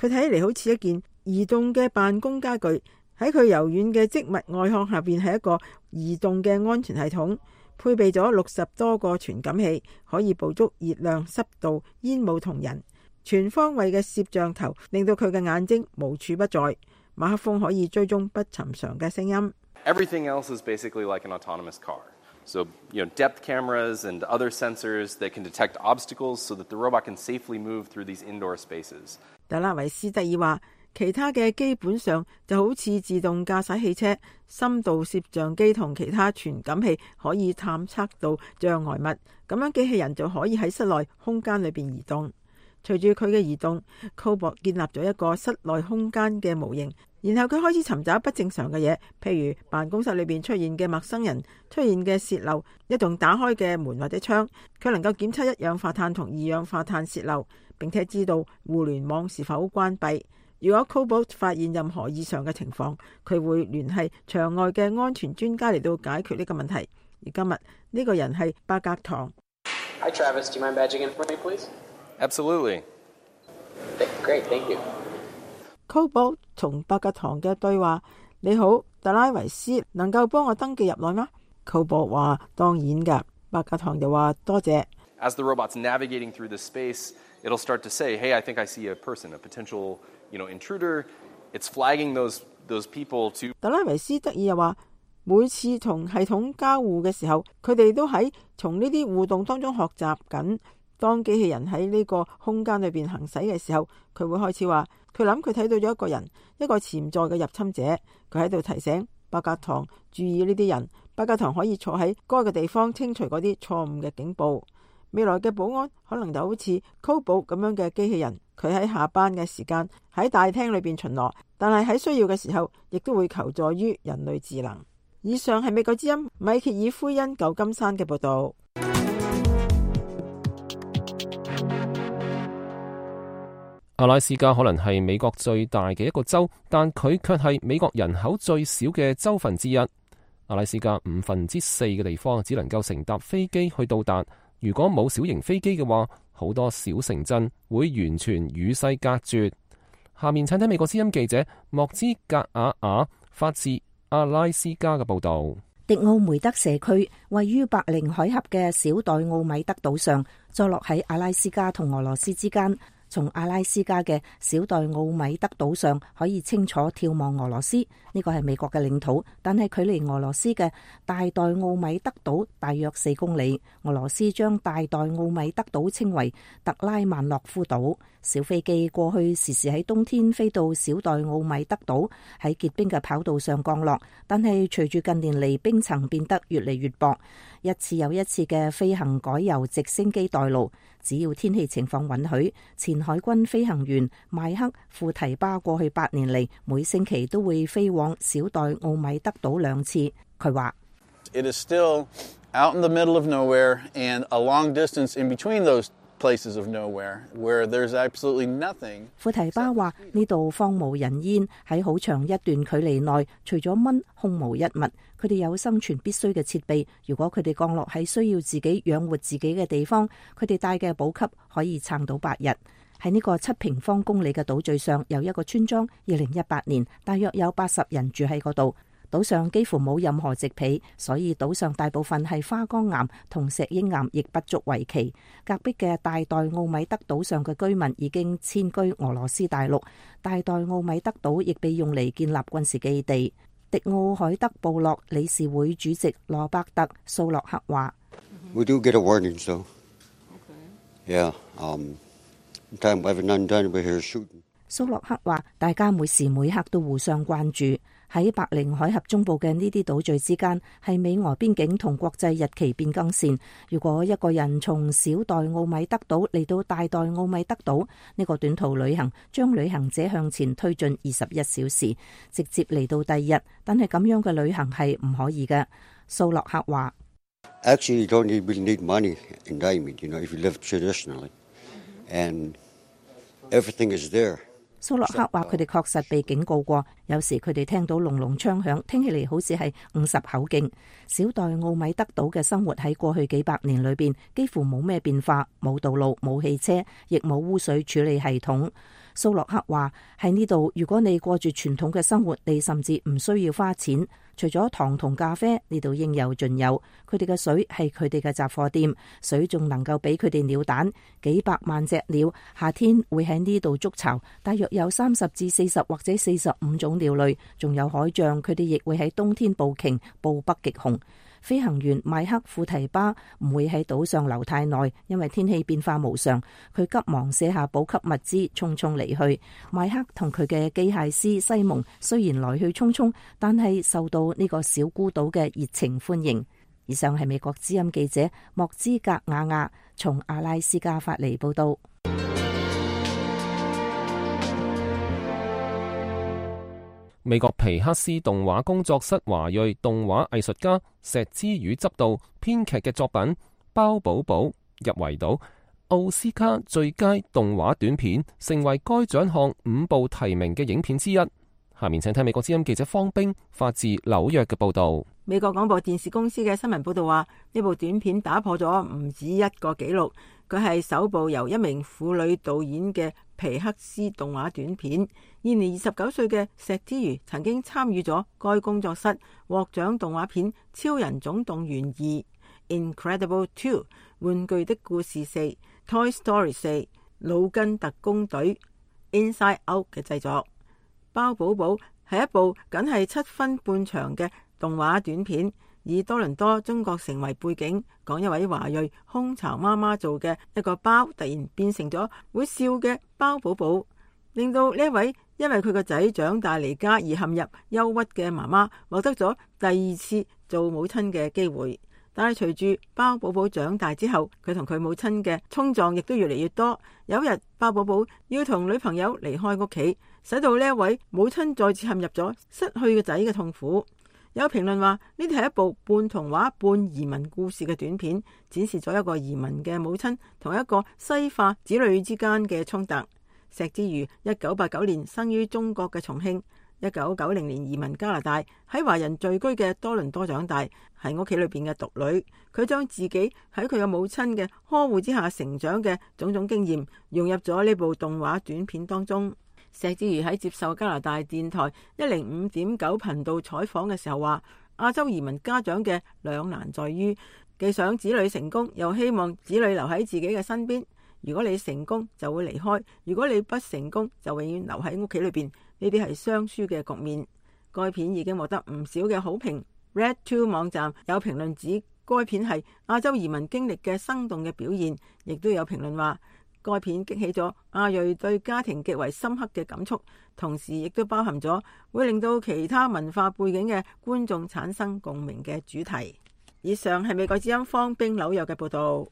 佢睇起嚟好似一件移動嘅辦公家具。喺佢柔軟嘅織物外殼下邊係一個移動嘅安全系統，配備咗60多個傳感器，可以捕捉熱量、濕度、煙霧同人。全方位嘅攝像頭令到佢嘅眼睛無處不在。馬克風可以追蹤不尋常嘅聲音。Everything else is basically like an autonomous car. So, depth cameras and other sensors that can detect obstacles so that the robot can safely move through these indoor spaces. 特拉維斯特爾話，其他嘅基本上就好似自動駕駛汽車、深度攝像機同其他傳感器可以探測到障礙物，咁樣機器人就可以喺室內空間裏邊移動。隨住佢嘅移動，Cobalt建立咗一個室內空間嘅模型，然後佢開始尋找不正常嘅嘢，譬如辦公室裏邊出現嘅陌生人、出現嘅洩漏、一棟打開嘅門或者窗。佢能夠檢測一氧化碳同二氧化碳洩漏，並且知道互聯網是否關閉。如果 Cobalt 發現任何異常嘅情況，佢會聯繫場外嘅安全專家嚟到解決呢個問題。而今日呢個人係伯格唐。Hi Travis, do you mind badging in for me, please? Absolutely. Great, thank you. Cobalt 同伯格唐嘅對話：你好，特拉維斯，能夠幫我登記入內嗎？ Cobalt 話當然㗎。伯格唐就話多謝。As the robot's navigating through the space, it'll start to say, "Hey, I think I see a person, a potential, intruder." It's flagging those people to. 特拉維斯德爾又話，每次同系統交互嘅時候，佢哋都喺從呢啲互動當中學習緊。當機器人喺呢個空間裏邊行駛嘅時候，佢會開始話，佢諗佢睇到咗一個人，一個潛在嘅入侵者。佢喺度提醒伯格唐注意呢啲人。伯格唐可以坐喺該個地方清除嗰啲錯誤嘅警報。未來嘅保安可能就好似 Cobalt 咁樣嘅機器人，佢喺下班嘅時間喺大廳裏邊巡邏，但係喺需要嘅時候亦都會求助於人類智能。以上係美國之音米歇爾奎恩舊金山嘅報道。阿拉斯加可能係美國最大嘅一個州，但佢卻係美國人口最少嘅州份之一。阿拉斯加4/5嘅地方只能夠乘搭飛機去到達，如果冇小型飛機嘅話，好多小城鎮會完全與世隔絕。下面請睇美國之音記者莫茲格瓦亞發自阿拉斯加嘅報道。迪奧梅德社區位於白令海峽嘅小代奧米德島上，坐落喺阿拉斯加同俄羅斯之間。從阿拉斯加嘅小代奧米德島上可以清楚眺望俄羅斯，呢個係美國嘅領土，但係距離俄羅斯嘅大代奧米德島大約4公里。俄羅斯將大代奧米德島稱為特拉曼諾夫島。小飛機過去時時喺冬天飛到小代奧米德島，喺結冰嘅跑道上降落，但係隨住近年嚟冰層變得越嚟越薄，一次又一次嘅飛行改由直升機代勞。只要天氣情況允許，前海軍飛行員邁克庫提巴過去8年嚟，每星期都會飛往小代奧米德島2次。佢話：It is still out in the middle of nowhere and a long distance in between those places of nowhere where there's absolutely nothing。庫提巴話：呢度荒無人煙，喺好長一段距離內，除咗蚊，空無一物。佢哋有生存必須嘅設備，如果佢哋降落喺需要自己養活自己嘅地方，佢哋帶嘅補給可以撐到8日。喺呢個7平方公里嘅島嶼上有一個村莊，2018年大約有80人住喺嗰度。島上幾乎冇任何植被，所以島上大部分係花崗岩同石英岩，亦不足為奇。隔壁嘅大代奧米德島上嘅居民已經遷居俄羅斯大陸，大代奧米德島亦被用嚟建立軍事基地。迪奧海德部落理事會主席羅伯特·蘇洛克話：We do get a warning, so yeah, time we have none done, we're here shooting。蘇洛克話：大家每時每刻都互相關注。喺白令海峽中部嘅呢啲島嶼之間，係美俄邊境同國際日期變更線。如果一個人從小代奧米德島嚟到大代奧米德島，呢個短途旅行將旅行者向前推進21小時，直接嚟到第二日。但係咁樣嘅旅行係唔可以嘅。蘇洛克話：Actually, you don't really need money in Diamond, you know, if you live traditionally, and everything is there。蘇洛克話：佢哋確實被警告過，有時佢哋聽到隆隆槍響，聽起嚟好似係50口徑。小代奧米德島嘅生活喺過去幾百年裏邊幾乎冇咩變化，冇道路、冇汽車，亦冇污水處理系統。蘇洛克話：喺呢度，如果你過住傳統嘅生活，你甚至唔需要花錢。除咗糖同咖啡，呢度應有盡有。佢哋嘅水係佢哋嘅雜貨店，水仲能夠俾佢哋鳥蛋。幾百萬隻鳥夏天會喺呢度築巢，大約有30至40或者45種鳥類，仲有海象，佢哋亦會喺冬天捕鯨，捕北極熊。飛行員邁克庫提巴唔會喺島上留太耐，因為天氣變化無常。佢急忙卸下補給物資，匆匆離去。邁克同佢嘅機械師西蒙雖然來去匆匆，但係受到呢個小孤島嘅熱情歡迎。以上係美國之音記者莫茲格瓦亞從阿拉斯加發嚟報道。美國皮克斯動畫工作室華裔動畫藝術家石之宇執導編劇嘅作品《包寶寶》入圍到奧斯卡最佳動畫短片，成為該獎項5部提名嘅影片之一。下面請睇美國之音記者方冰發自紐約嘅報道。美國廣播電視公司嘅新聞報道話，呢部短片打破咗唔止一個紀錄，佢係首部由一名婦女導演嘅皮克斯動畫短片。現年29歲嘅石之瑜曾經參與咗該工作室獲獎動畫片《超人總動員2》、Incredible 2、玩具的故事4、Toy Story 4、腦筋特工隊 Inside Out 嘅製作。包寶寶係一部僅係7分半長嘅動畫短片，以多倫多中國城為背景，講一位華裔空巢媽媽做嘅一個包突然變成咗會笑嘅包寶寶，令到呢一位因為佢個仔長大離家而陷入憂鬱嘅媽媽獲得咗第2次做母親嘅機會。但係隨住包寶寶長大之後，佢同佢母親嘅衝撞亦都越嚟越多。有一日，包寶寶要同女朋友離開屋企，使到呢一位母親再次陷入咗失去個仔嘅痛苦。有評論話呢啲係一部半童話半移民故事嘅短片，展示咗一個移民嘅母親同一個西化子女之間嘅衝突。石之瑜1989年生於中國嘅重慶，1990年移民加拿大，喺華人聚居嘅多倫多長大，係屋企裏邊嘅獨女。佢將自己喺佢嘅母親嘅呵護之下成長嘅種種經驗融入咗呢部動畫短片當中。石之瑜喺接受加拿大電台105.9頻道採訪嘅時候話，亞洲移民家長嘅兩難在於，既想子女成功，又希望子女留喺自己嘅身邊。如果你成功就會離開，如果你不成功就永遠留喺屋企裏邊，呢啲係雙輸嘅局面。該片已經獲得唔少嘅好評。Red2 網站有評論指該片係亞洲移民經歷嘅生動嘅表現，亦都有評論話該片激起咗亞裔對家庭極為深刻嘅感觸，同時亦都包含咗會令到其他文化背景嘅觀眾產生共鳴嘅主題。以上係美國之音方冰紐約嘅報道。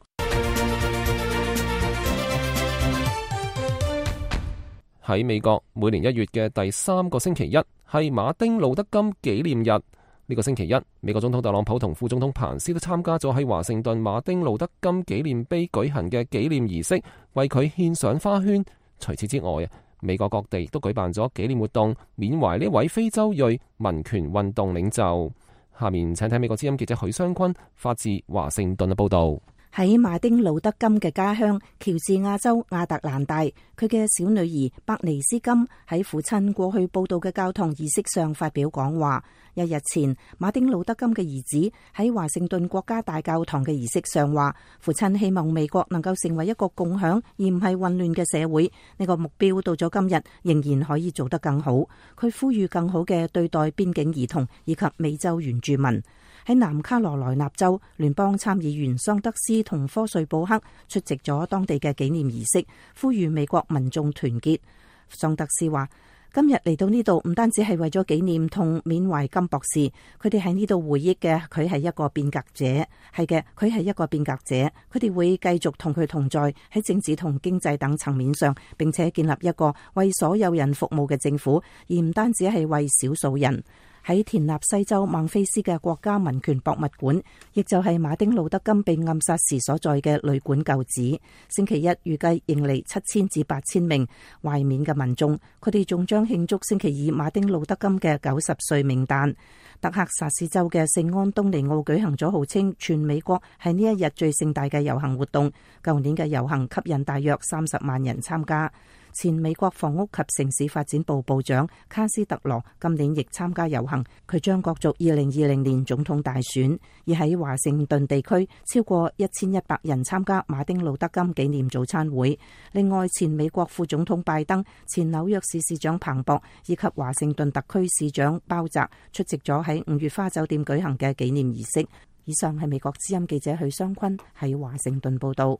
喺美國，每年1月嘅第3個星期一係馬丁路德金紀念日。呢個星期一，美國總統特朗普同副總統彭斯都參加咗喺華盛頓馬丁路德金紀念碑舉行嘅紀念儀式，為佢獻上花圈。除此之外，美國各地都舉辦咗紀念活動，緬懷呢位非洲裔民權運動領袖。下面請睇美國之音記者許湘坤發自華盛頓嘅報道。喺馬丁路德金嘅家鄉喬治亞州亞特蘭大，佢嘅小女兒伯尼斯金喺父親過去報道嘅教堂儀式上發表講話。1日前，馬丁路德金嘅兒子喺華盛頓國家大教堂嘅儀式上話，父親希望美國能夠成為一個共享而唔係混亂嘅社會。呢個目標到咗今日仍然可以做得更好。佢呼籲更好嘅對待邊境兒童以及美洲原住民。喺南卡羅來納州，聯邦參議員桑德斯同科瑞布克出席咗當地嘅紀念儀式，呼籲美國民眾團結。桑德斯話：今日嚟到呢度唔單止係為咗紀念同緬懷金博士，佢哋喺呢度回憶嘅佢係一個變革者，係嘅，佢係一個變革者。佢哋會繼續同佢同在喺政治同經濟等層面上，並且建立一個為所有人服務嘅政府，而唔單止係為少數人。喺田納西州孟菲斯嘅國家民權博物館，亦就係馬丁路德金被暗殺時所在嘅旅館舊址，星期一預計迎嚟7000至8000名懷緬嘅民眾，佢哋仲將慶祝星期二馬丁路德金嘅90歲冥誕。德克薩斯州嘅聖安東尼奧舉行咗號稱全美國係呢一日最盛大嘅遊行活動，舊年嘅遊行吸引大約30萬人參加。前美國房屋及城市發展部部長卡斯特羅今年亦參加遊行，佢將角逐2020年總統大選。而喺華盛頓地區，超過1100人參加馬丁路德金紀念早餐會。另外，前美國副總統拜登、前紐約市市長彭博以及華盛頓特區市長鮑澤出席咗喺5月花酒店舉行嘅紀念儀式。以上係美國之音記者許湘坤喺華盛頓報道。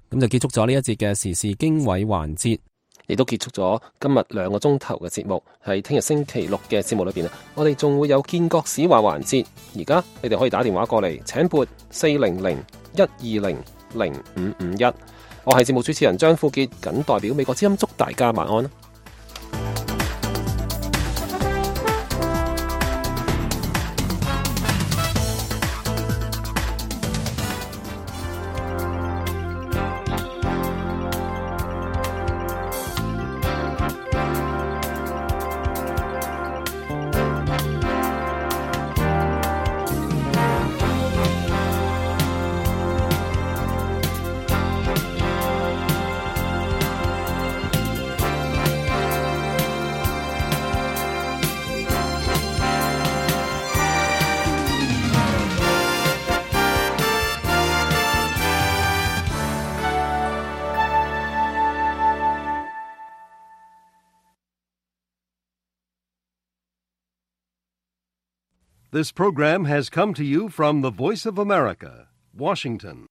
咁就結束咗呢一節嘅時事經緯環節。亦都結束咗今日2個鐘頭嘅節目，喺聽日星期六嘅節目裏邊我哋仲會有建國史話環節。而家你哋可以打電話過嚟，請撥400-120-0551。我係節目主持人張富傑，謹代表美國之音祝大家晚安。This program has come to you from the Voice of America, Washington.